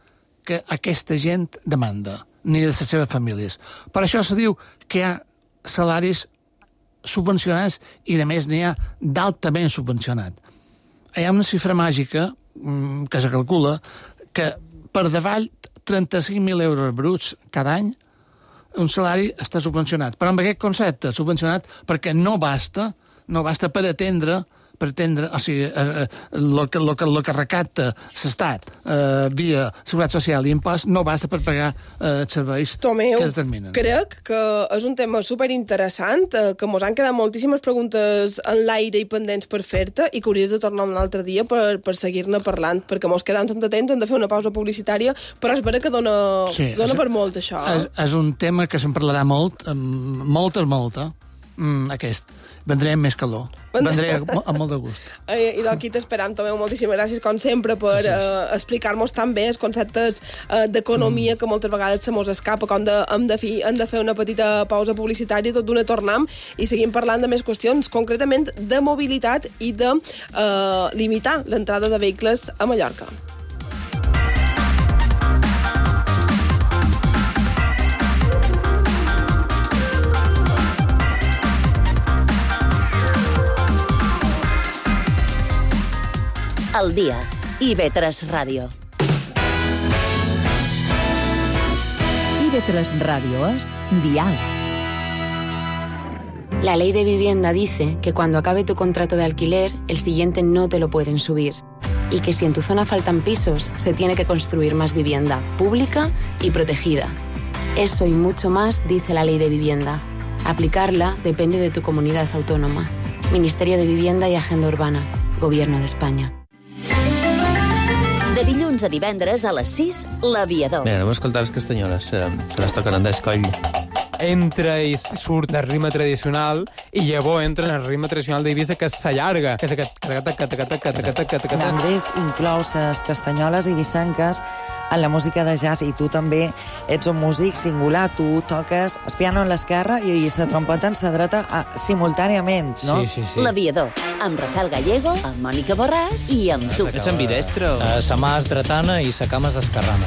que aquesta gent demanda, ni de les seves famílies. Per això se diu que hi ha salaris subvencionats i, a més, n'hi ha d'altament subvencionat. Hi ha una xifra màgica que se calcula que per davall 35.000 euros bruts cada any un salari està subvencionat. Però amb aquest concepte, subvencionat perquè no basta per atendre o sigui, el que recapta l'Estat via Seguretat Social i impost no basta per pagar serveis Tomeu, que determinen. Crec que és un tema superinteressant, que mos han quedat moltíssimes preguntes en l'aire i pendents per fer-te i que hauries de tornar un altre dia per seguir-ne parlant, perquè mos quedam sense temps, hem de fer una pausa publicitària, però és vera que dona per molt, això. És un tema que se'n parlarà molt, molt, aquest. Vendré amb més calor. Vendré amb molt de gust. I d'aquí t'esperam, Tomeu. Moltíssimes gràcies, com sempre, per explicar-nos tan bé els conceptes d'economia que moltes vegades se mos escapa. Com hem de fer una petita pausa publicitària, tot d'una tornem i seguim parlant de més qüestions, concretament de mobilitat i de limitar l'entrada de vehicles a Mallorca. Al día, IB3 Radio. IB3 Radio es Dial. La ley de vivienda dice que cuando acabe tu contrato de alquiler, el siguiente no te lo pueden subir. Y que si en tu zona faltan pisos, se tiene que construir más vivienda pública y protegida. Eso y mucho más dice la ley de vivienda. Aplicarla depende de tu comunidad autónoma. Ministerio de Vivienda y Agenda Urbana. Gobierno de España. De dilluns a divendres a les 6, l'Aviador. Bé, anem a escoltar les castanyoles, se les toquen en d'escoll. Entra i surt del ritme tradicional i llavors entra en el ritme tradicional d'Eivissa, que s'allarga, que és aquest... Andrés inclou les castanyoles eivissenques en la música de jazz i tu també ets un músic singular, tu toques el piano en l'esquerra i la trompeta en la dreta simultàniament, no? Sí. L'Aviador, amb Rafael Gallego, amb Mònica Borràs i amb tu. Ets ambidestro. Sa mà és dretana i sa cama és esquerrana.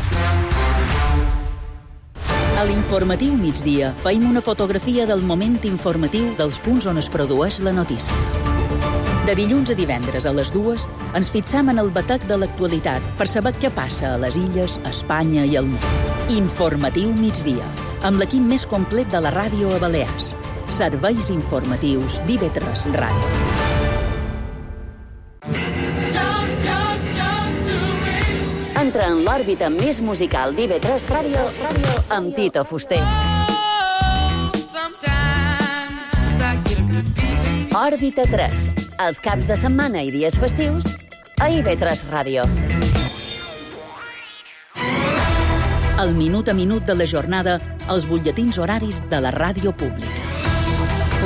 A l'informatiu migdia feim una fotografia del moment informatiu dels punts on es produeix la notícia. De dilluns a divendres a les 2 ens fixam en el batec de l'actualitat per saber què passa a les illes, a Espanya i al món. Informatiu migdia, amb l'equip més complet de la ràdio a Balears. Serveis informatius d'IB3 Ràdio. Entra en l'òrbita més musical d'IB3 Ràdio amb Tito Fuster. Òrbita 3, els caps de setmana i dies festius a IB3 Ràdio. El minut a minut de la jornada, els butlletins horaris de la ràdio pública.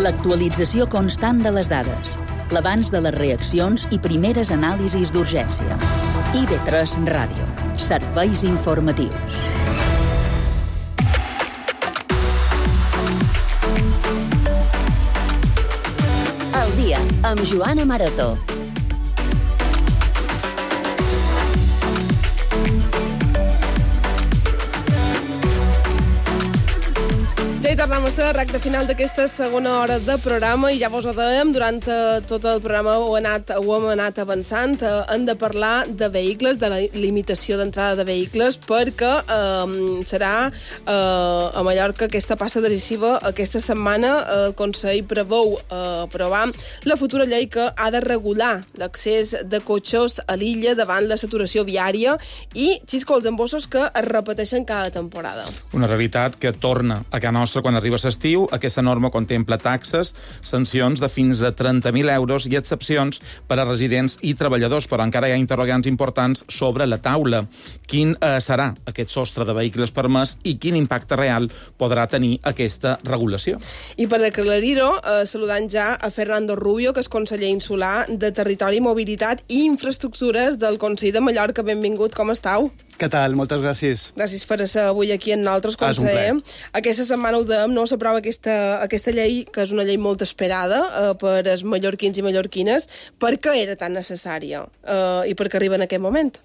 L'actualització constant de les dades, l'abans de les reaccions i primeres anàlisis d'urgència. IB3 Ràdio. Serveis informatius. El dia amb Joana Maroto. Ja hi tornem a ser, recte final d'aquesta segona hora de programa, i ja vos ho dèiem, durant tot el programa ho hem anat avançant. Hem de parlar de vehicles, de la limitació d'entrada de vehicles, perquè serà a Mallorca aquesta passa decisiva. Aquesta setmana el Consell preveu aprovar la futura llei que ha de regular l'accés de cotxes a l'illa davant la saturació viària i xiscols embossos que es repeteixen cada temporada. Una realitat que torna a casa nostra quan arriba l'estiu. Aquesta norma contempla taxes, sancions de fins a 30.000 euros i excepcions per a residents i treballadors, però encara hi ha interrogants importants sobre la taula. Quin serà aquest sostre de vehicles permès i quin impacte real podrà tenir aquesta regulació? I per aclarir-ho, saludant ja a Fernando Rubio, que és conseller insular de Territori, Mobilitat i Infraestructures del Consell de Mallorca. Benvingut, com estàu? Què tal? Moltes gràcies. Gràcies per ser avui aquí amb nosaltres, conseller. Aquesta setmana ho dèiem, no s'aprova aquesta llei, que és una llei molt esperada per els mallorquins i mallorquines. Per què era tan necessària i per què arriba en aquest moment?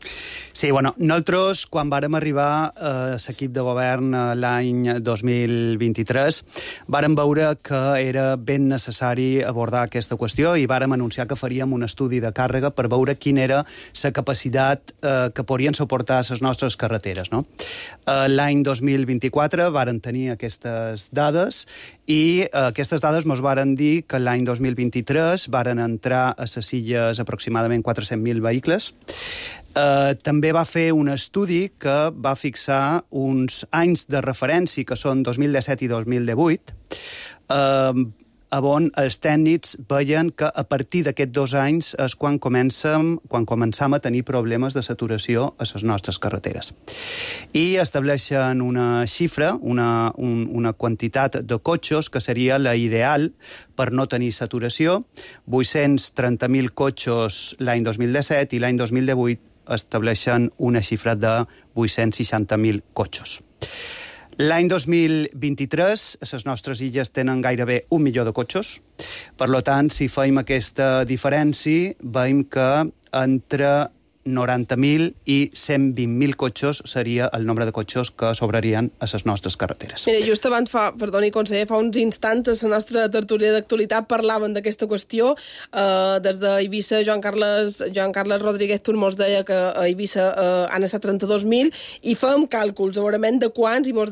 Sí, bueno, nosaltres, quan vàrem arribar a l'equip de govern l'any 2023, vàrem veure que era ben necessari abordar aquesta qüestió i vàrem anunciar que faríem un estudi de càrrega per veure quina era la capacitat que podrien suportar les nostres carreteres, no? L'any 2024 varen tenir aquestes dades i aquestes dades ens varen dir que l'any 2023 varen entrar a les illes aproximadament 400.000 vehicles. També va fer un estudi que va fixar uns anys de referència, que són 2017 i 2018, on els tècnics veien que a partir d'aquests 2 anys és quan començam a tenir problemes de saturació a les nostres carreteres. I estableixen una xifra, una quantitat de cotxes que seria la ideal per no tenir saturació. 830.000 cotxes l'any 2017 i l'any 2018 estableixen una xifra de 860.000 cotxes. L'any 2023, les nostres illes tenen gairebé 1 milió de cotxes. Per tant, si fem aquesta diferència, veiem que entre 90.000 i 120.000 cotxes seria el nombre de cotxes que sobrarien a les nostres carreteres. Mira, just abans, perdoni, conseller, fa uns instants a la nostra tertúlia d'actualitat parlaven d'aquesta qüestió. Des d'Eivissa, Joan Carles Rodríguez Tur mos deia que a Eivissa han estat 32.000 i fèiem càlculs, segurament, de quants, i mos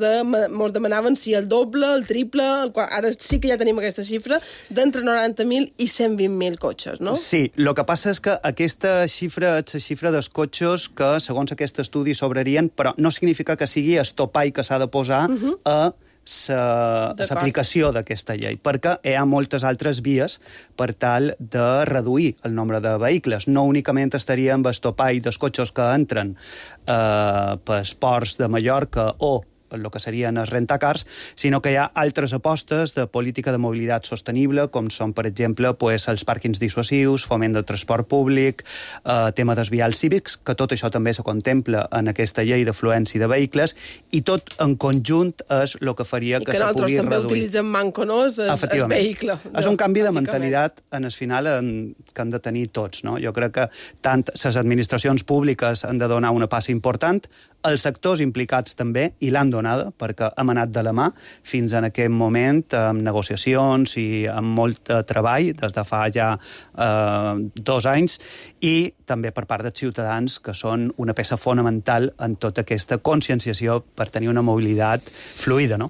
demanaven si el doble, el triple, ara sí que ja tenim aquesta xifra, d'entre 90.000 i 120.000 cotxes, no? Sí, el que passa és que aquesta xifra és la xifra dels cotxes que, segons aquest estudi, sobrarien, però no significa que sigui el topall que s'ha de posar a l'aplicació d'aquesta llei, perquè hi ha moltes altres vies per tal de reduir el nombre de vehicles. No únicament estaria amb el topall dels cotxes que entren pels ports de Mallorca o el que serien els rentacars, sinó que hi ha altres apostes de política de mobilitat sostenible, com són, per exemple, els pàrquings dissuasius, foment del transport públic, tema dels vials cívics, que tot això també se contempla en aquesta llei d'afluència de vehicles, i tot en conjunt és el que faria que se pugui reduir. I que nosaltres també utilitzem manco, no?, el vehicle. És un canvi de mentalitat, en el final, que han de tenir tots, no? Jo crec que tant les administracions públiques han de donar una passa important, els sectors implicats també, i l'han donada, perquè hem anat de la mà fins en aquest moment, amb negociacions i amb molt treball, des de fa ja 2 anys, i també per part dels ciutadans, que són una peça fonamental en tota aquesta conscienciació per tenir una mobilitat fluida, no?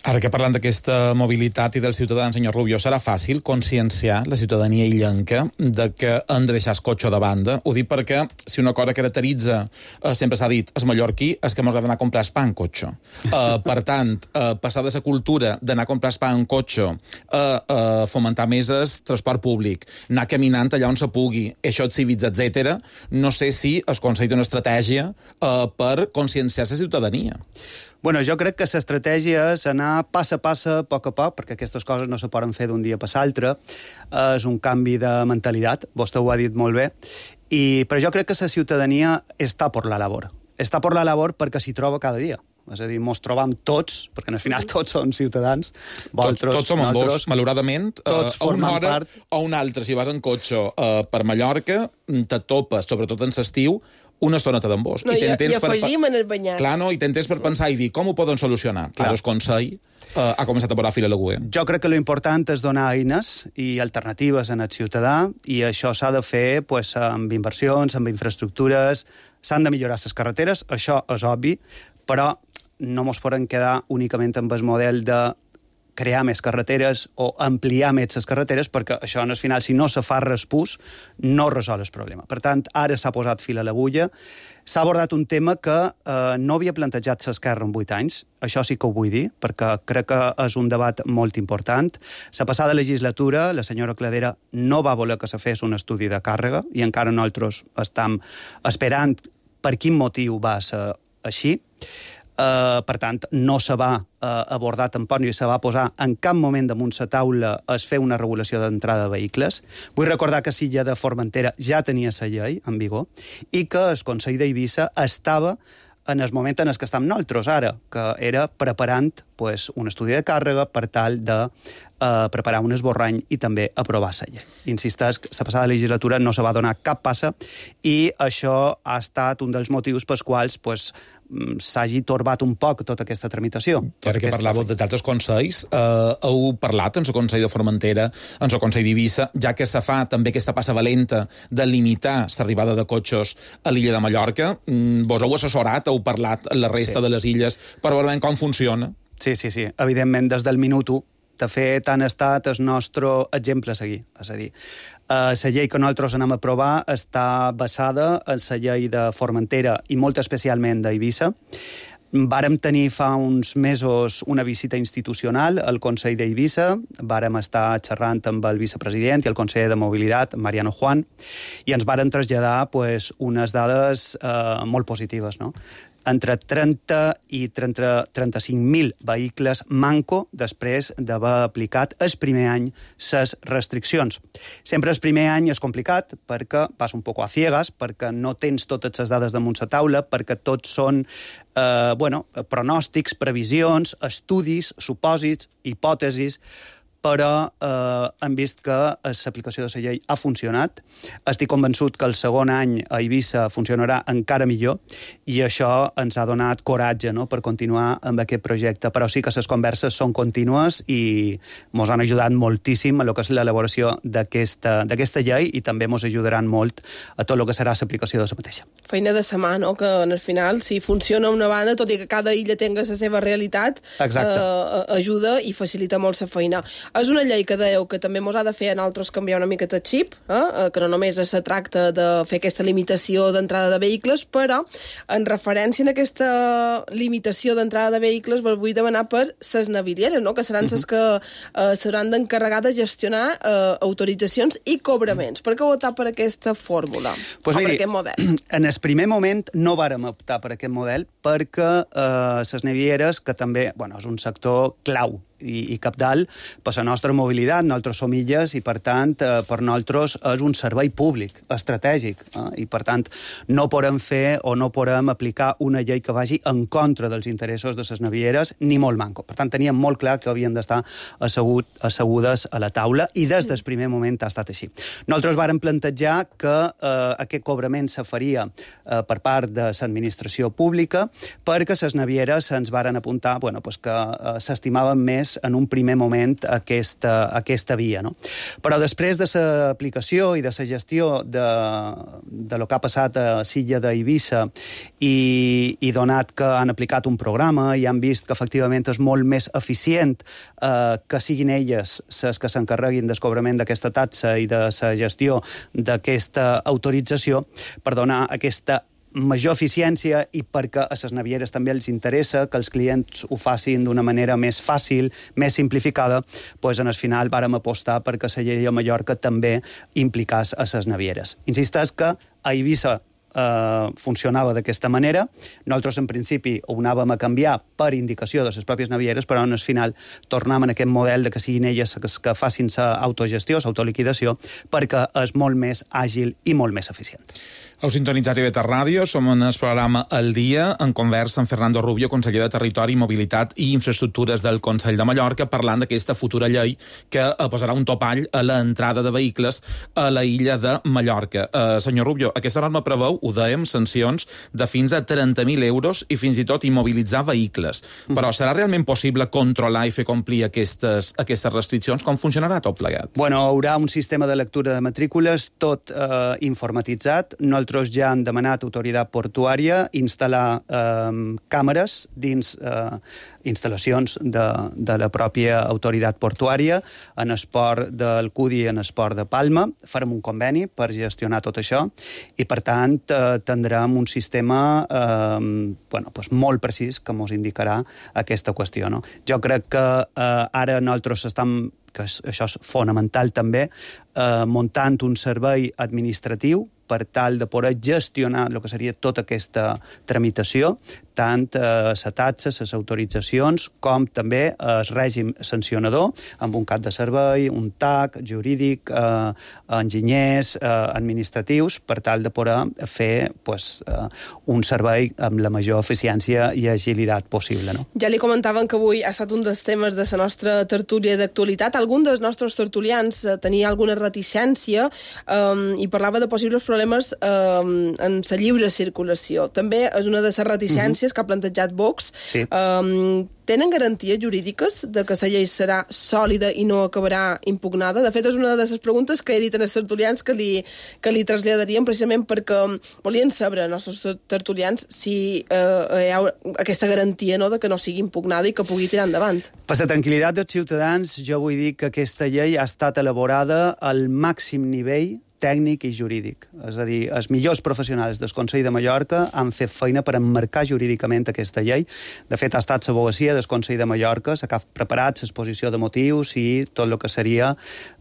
Ara que parlant d'aquesta mobilitat i dels ciutadans, senyor Rubio, serà fàcil conscienciar la ciutadania illenca de que han de deixar el cotxe de banda? Ho dic perquè si una cosa caracteritza, sempre s'ha dit, el mallorquí, és que mos agrada anar a comprar pa en cotxe. Per tant, passar de la cultura d'anar a comprar pa en cotxe a fomentar més el transport públic, anar caminant allà on se pugui, això cívics, etc. No sé si el Consell té una estratègia per conscienciar la ciutadania. Bueno, jo crec que l'estratègia és anar pas a pas, a poc, perquè aquestes coses no se poden fer d'un dia per l'altre. És un canvi de mentalitat, vostè ho ha dit molt bé, però jo crec que la ciutadania està per la labor. Està per la labor perquè s'hi troba cada dia. És a dir, mos trobam tots, perquè al final tots som ciutadans. Tots som en bus, malauradament. Tots a una hora part. o una altra, si vas en cotxe per Mallorca, te topes, sobretot en l'estiu, una estoneta d'en bus. No, i afegim en el banyat. Clar, no, i tens temps per pensar i dir com ho poden solucionar. Clar, el Consell ha començat a posar fil a l'agulla. Jo crec que l'important és donar eines i alternatives en el ciutadà, i això s'ha de fer amb inversions, amb infraestructures, s'han de millorar les carreteres, això és obvi, però no ens podem quedar únicament amb el model de crear més carreteres o ampliar més les carreteres, perquè això, al final, si no se fa respús, no resol el problema. Per tant, ara s'ha posat fil a l'agulla. S'ha abordat un tema que no havia plantejat l'Esquerra en 8 anys, això sí que ho vull dir, perquè crec que és un debat molt important. La passada legislatura, la senyora Cladera no va voler que se fes un estudi de càrrega, i encara nosaltres estem esperant per quin motiu va ser així. Per tant, no se va abordar tampoc ni se va posar en cap moment damunt la taula es fer una regulació d'entrada de vehicles. Vull recordar que l'illa de Formentera ja tenia la llei en vigor i que el Consell d'Eivissa estava en el moment en què estem nosaltres ara, que era preparant un estudi de càrrega per tal de preparar un esborrany i també aprovar la llei. Insisteix que la passada legislatura no se va donar cap passa i això ha estat un dels motius pels quals s'hagi torbat un poc tota aquesta tramitació. Ara que parlàveu de altres consells, heu parlat en el Consell de Formentera, en el Consell d'Eivissa, ja que se fa també aquesta passa valenta de limitar l'arribada de cotxes a l'illa de Mallorca. Vos heu assessorat, heu parlat amb la resta de les illes per veure com funciona? Sí. Evidentment, des del minut 1. De fet, han estat el nostre exemple a seguir. És a dir, la llei que nosaltres anem a aprovar està basada en la llei de Formentera i molt especialment d'Eivissa. Vàrem tenir fa uns mesos una visita institucional al Consell d'Eivissa, vàrem estar xerrant amb el vicepresident i el conseller de Mobilitat, Mariano Juan, i ens varen traslladar unes dades molt positives, no? Entre 30 i 35.000 vehicles manco després d'haver aplicat el primer any les restriccions. Sempre el primer any és complicat perquè vas un poc a ciegas, perquè no tens totes les dades damunt la taula, perquè tots són pronòstics, previsions, estudis, supòsits, hipòtesis, però hem vist que l'aplicació de la llei ha funcionat. Estic convençut que el segon any a Eivissa funcionarà encara millor i això ens ha donat coratge per continuar amb aquest projecte. Però sí que les converses són contínues i ens han ajudat moltíssim a lo que és l'elaboració d'aquesta llei i també ens ajudaran molt a tot el que serà l'aplicació de la mateixa. Feina de sa mà, no? Que al final, si funciona una banda, tot i que cada illa tenga la seva realitat, ajuda i facilita molt la feina. És una llei que dèieu que també mos ha de fer a nosaltres canviar una miqueta el xip, que no només se tracta de fer aquesta limitació d'entrada de vehicles, però en referència a aquesta limitació d'entrada de vehicles vos vull demanar per ses navilieres, no? Que seran les que seran d'encarregar de gestionar autoritzacions i cobraments. Per què optar per aquesta fórmula? Per aquest model? En el primer moment no vàrem optar per aquest model perquè les navieres, que també és un sector clau i cabdal per la nostra mobilitat, nosaltres som illes i per tant per nosaltres és un servei públic estratègic i per tant no podem fer o no podem aplicar una llei que vagi en contra dels interessos de les navieres ni molt manco. Per tant teníem molt clar que havien d'estar assegudes a la taula i des del primer moment ha estat així. Nosaltres vàrem plantejar que aquest cobrament se faria per part de l'administració pública perquè les navieres ens varen apuntar que s'estimaven més en un primer moment aquesta via. No? Però després de l'aplicació i de la gestió de lo que ha passat a l'illa d'Eivissa i donat que han aplicat un programa i han vist que efectivament és molt més eficient que siguin elles les que s'encarreguin del cobrament d'aquesta taxa i de la gestió d'aquesta autorització per donar aquesta major eficiència i perquè a les navieres també els interessa que els clients ho facin d'una manera més fàcil, més simplificada, en el final vàrem apostar perquè la llei a Mallorca també implicàs a les navieres. Insisteix que a Eivissa funcionava d'aquesta manera. Nosaltres, en principi, ho anàvem a canviar per indicació de les pròpies navieres, però en el final tornem en aquest model de que siguin elles que facin l'autogestió, l'autoliquidació, perquè és molt més àgil i molt més eficient. Heu sintonitzat IB3 Ràdio, som en el programa El Dia, en conversa amb Fernando Rubio, conseller de Territori, Mobilitat i Infraestructures del Consell de Mallorca, parlant d'aquesta futura llei que posarà un topall a l'entrada de vehicles a la illa de Mallorca. Senyor Rubio, aquesta norma preveu, ho dèiem, sancions de fins a 30.000 euros i fins i tot immobilitzar vehicles. Però serà realment possible controlar i fer complir aquestes restriccions? Com funcionarà tot plegat? Bueno, hi haurà un sistema de lectura de matrícules tot informatitzat. Nosaltres ja hem demanat a Autoritat Portuària instal·lar càmeres dins instal·lacions de la pròpia Autoritat Portuària en el port del Cudi i en el port de Palma. Farem un conveni per gestionar tot això i, per tant, tindrem un sistema molt precís que ens indicarà aquesta qüestió. No? Jo crec que ara nosaltres que això és fonamental també, muntant un servei administratiu per tal de poder gestionar el que seria tota aquesta tramitació, tant les taxes, les autoritzacions, com també el règim sancionador, amb un cap de servei, un TAC, jurídic, enginyers, administratius, per tal de poder fer un servei amb la major eficiència i agilitat possible. No? Ja li comentaven que avui ha estat un dels temes de la nostra tertúlia d'actualitat. Algun dels nostres tertulians tenia alguna reticència i parlava de possibles problemes en la lliure circulació. També és una de les reticències que ha plantejat Vox. Sí. Tenen garanties jurídiques de que la llei serà sòlida i no acabarà impugnada? De fet, és una de les preguntes que he dit als tertulians que li traslladaríem precisament perquè volien saber els nostres tertulians si hi ha aquesta garantia de que no sigui impugnada i que pugui tirar endavant. Per la tranquil·litat dels ciutadans, jo vull dir que aquesta llei ha estat elaborada al màxim nivell tècnic i jurídic. És a dir, els millors professionals del Consell de Mallorca han fet feina per emmarcar jurídicament aquesta llei. De fet, ha estat l'advocacia del Consell de Mallorca, que ha preparat l'exposició de motius i tot el que seria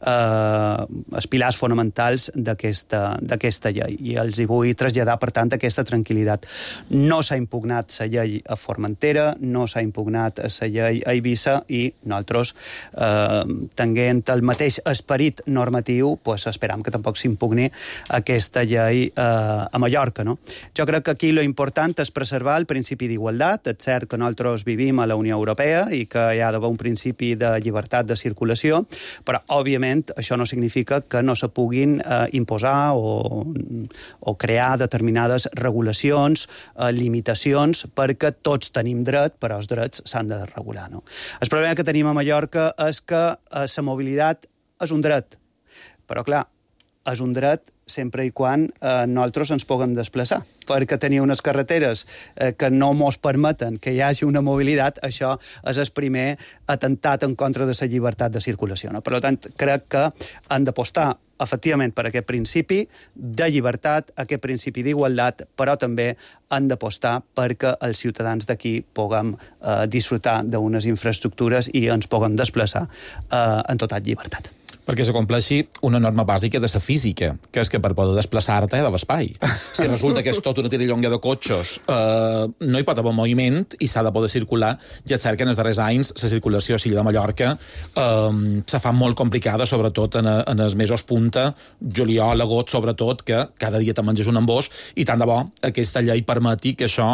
els pilars fonamentals d'aquesta llei. I els hi vull traslladar, per tant, aquesta tranquil·litat. No s'ha impugnat la llei a Formentera, no s'ha impugnat la llei a Eivissa i nosaltres, tenint el mateix esperit normatiu, esperam que tampoc s'impugni aquesta llei a Mallorca. No? Jo crec que aquí l'important és preservar el principi d'igualtat. És cert que nosaltres vivim a la Unió Europea i que hi ha d'haver un principi de llibertat de circulació, però, òbviament, això no significa que no se puguin imposar o crear determinades regulacions, limitacions, perquè tots tenim dret, però els drets s'han de regular. No? El problema que tenim a Mallorca és que la mobilitat és un dret, però, clar, és un dret sempre i quan nosaltres ens puguem desplaçar. Perquè tenir unes carreteres que no ens permeten que hi hagi una mobilitat, això és el primer atemptat en contra de la llibertat de circulació. No? Per tant, crec que han d'apostar efectivament per aquest principi de llibertat, aquest principi d'igualtat, però també han d'apostar perquè els ciutadans d'aquí puguem disfrutar d'unes infraestructures i ens puguem desplaçar en total llibertat. Perquè se compleixi una norma bàsica de la física, que és que per poder desplaçar-te hi ha d'haver espai. Si resulta que és tot una tirallonga de cotxes, no hi pot haver moviment i s'ha de poder circular. Ja és cert que en els darrers anys la circulació a l'illa de Mallorca se fa molt complicada, sobretot en els mesos punta, juliol, agost, sobretot, que cada dia te menges un embòs i tant de bo aquesta llei permeti que això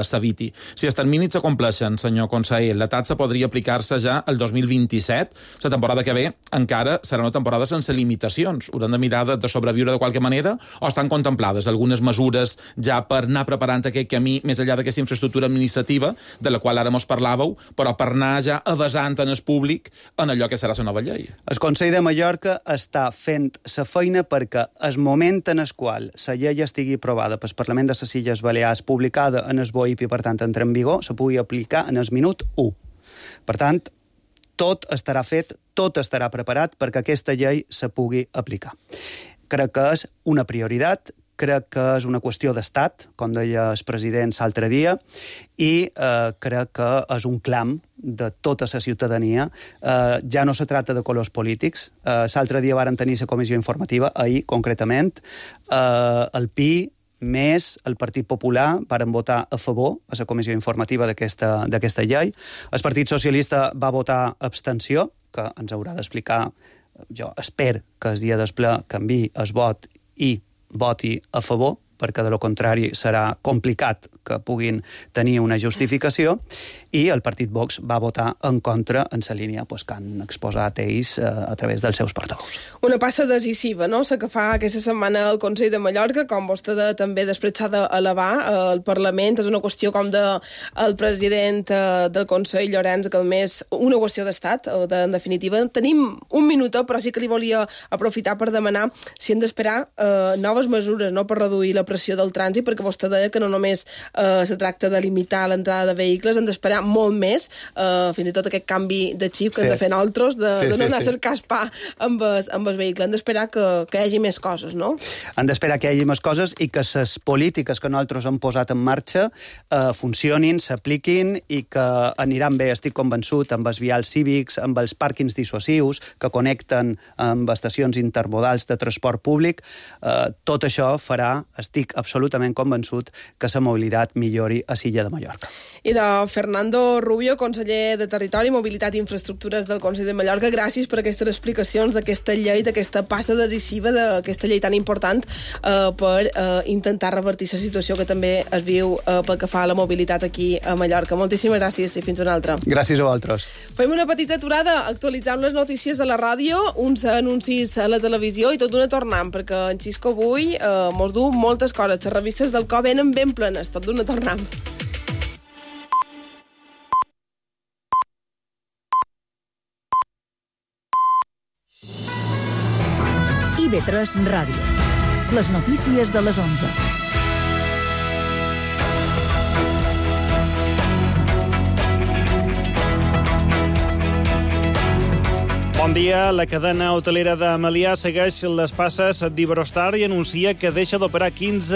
s'eviti. Si els terminis s'acompleixen, senyor conseller, la taxa podria aplicar-se ja el 2027, la temporada que ve encara serà una temporada sense limitacions. Hauran de mirar de sobreviure de qualque manera o estan contemplades algunes mesures ja per anar preparant aquest camí més enllà d'aquesta infraestructura administrativa de la qual ara mos parlàveu, però per anar ja avasant en el públic en allò que serà la nova llei? El Consell de Mallorca està fent la feina perquè el moment en el qual la llei estigui aprovada pel Parlament de les Illes Balears, publicada en el BOIP i, per tant, entra en vigor, se pugui aplicar en el minut 1. Per tant, tot estarà fet, tot estarà preparat perquè aquesta llei se pugui aplicar. Crec que és una prioritat, crec que és una qüestió d'estat, com deia el president l'altre dia, i crec que és un clam de tota la ciutadania. Ja no se tracta de colors polítics. L'altre dia varen tenir la comissió informativa, ahir concretament. El PI més el Partit Popular varen votar a favor a la comissió informativa d'aquesta llei. El Partit Socialista va votar abstenció, que ens haurà d'explicar. Jo espero que el dia del ple canviï el vot i voti a favor, perquè de lo contrari serà complicat que puguin tenir una justificació, i el partit Vox va votar en contra en la línia que han exposat ells a través dels seus portaveus. Una passa decisiva, no?, la que fa aquesta setmana el Consell de Mallorca, com vostè també després s'ha d'elevar al Parlament. És una qüestió, com el president del Consell, Llorenç Galmés, una qüestió d'estat, en definitiva. Tenim un minut, però sí que li volia aprofitar per demanar si hem d'esperar noves mesures, no?, per reduir la pressió del trànsit, perquè vostè deia que no només se tracta de limitar l'entrada de vehicles, hem d'esperar molt més, fins i tot aquest canvi de xip que hem de fer nosaltres, de no anar a cercar pa amb el vehicle. Hem d'esperar que hi hagi més coses, no? Han d'esperar que hi hagi més coses i que les polítiques que nosaltres hem posat en marxa funcionin, s'apliquin i que aniran bé, estic convençut, amb els vials cívics, amb els pàrquings dissuasius que connecten amb estacions intermodals de transport públic. Tot això farà, estic absolutament convençut, que la mobilitat millori a l'illa de Mallorca. I de Fernando Rubio, conseller de Territori, Mobilitat i Infraestructures del Consell de Mallorca, gràcies per aquestes explicacions d'aquesta llei, d'aquesta passa decisiva, d'aquesta llei tan important per intentar revertir la situació que també es viu pel que fa a la mobilitat aquí a Mallorca. Moltíssimes gràcies i fins una altra. Gràcies a vosaltres. Fem una petita aturada, actualitzem les notícies a la ràdio, uns anuncis a la televisió i tot d'una tornant, perquè en Xisco avui mos du moltes coses. Les revistes del CO venen ben plenes, tot d'una tornant. IB3 Ràdio. Les notícies de les 11. Bon dia. La cadena hotelera de Melià segueix les passes d'Iberostar i anuncia que deixa d'operar 15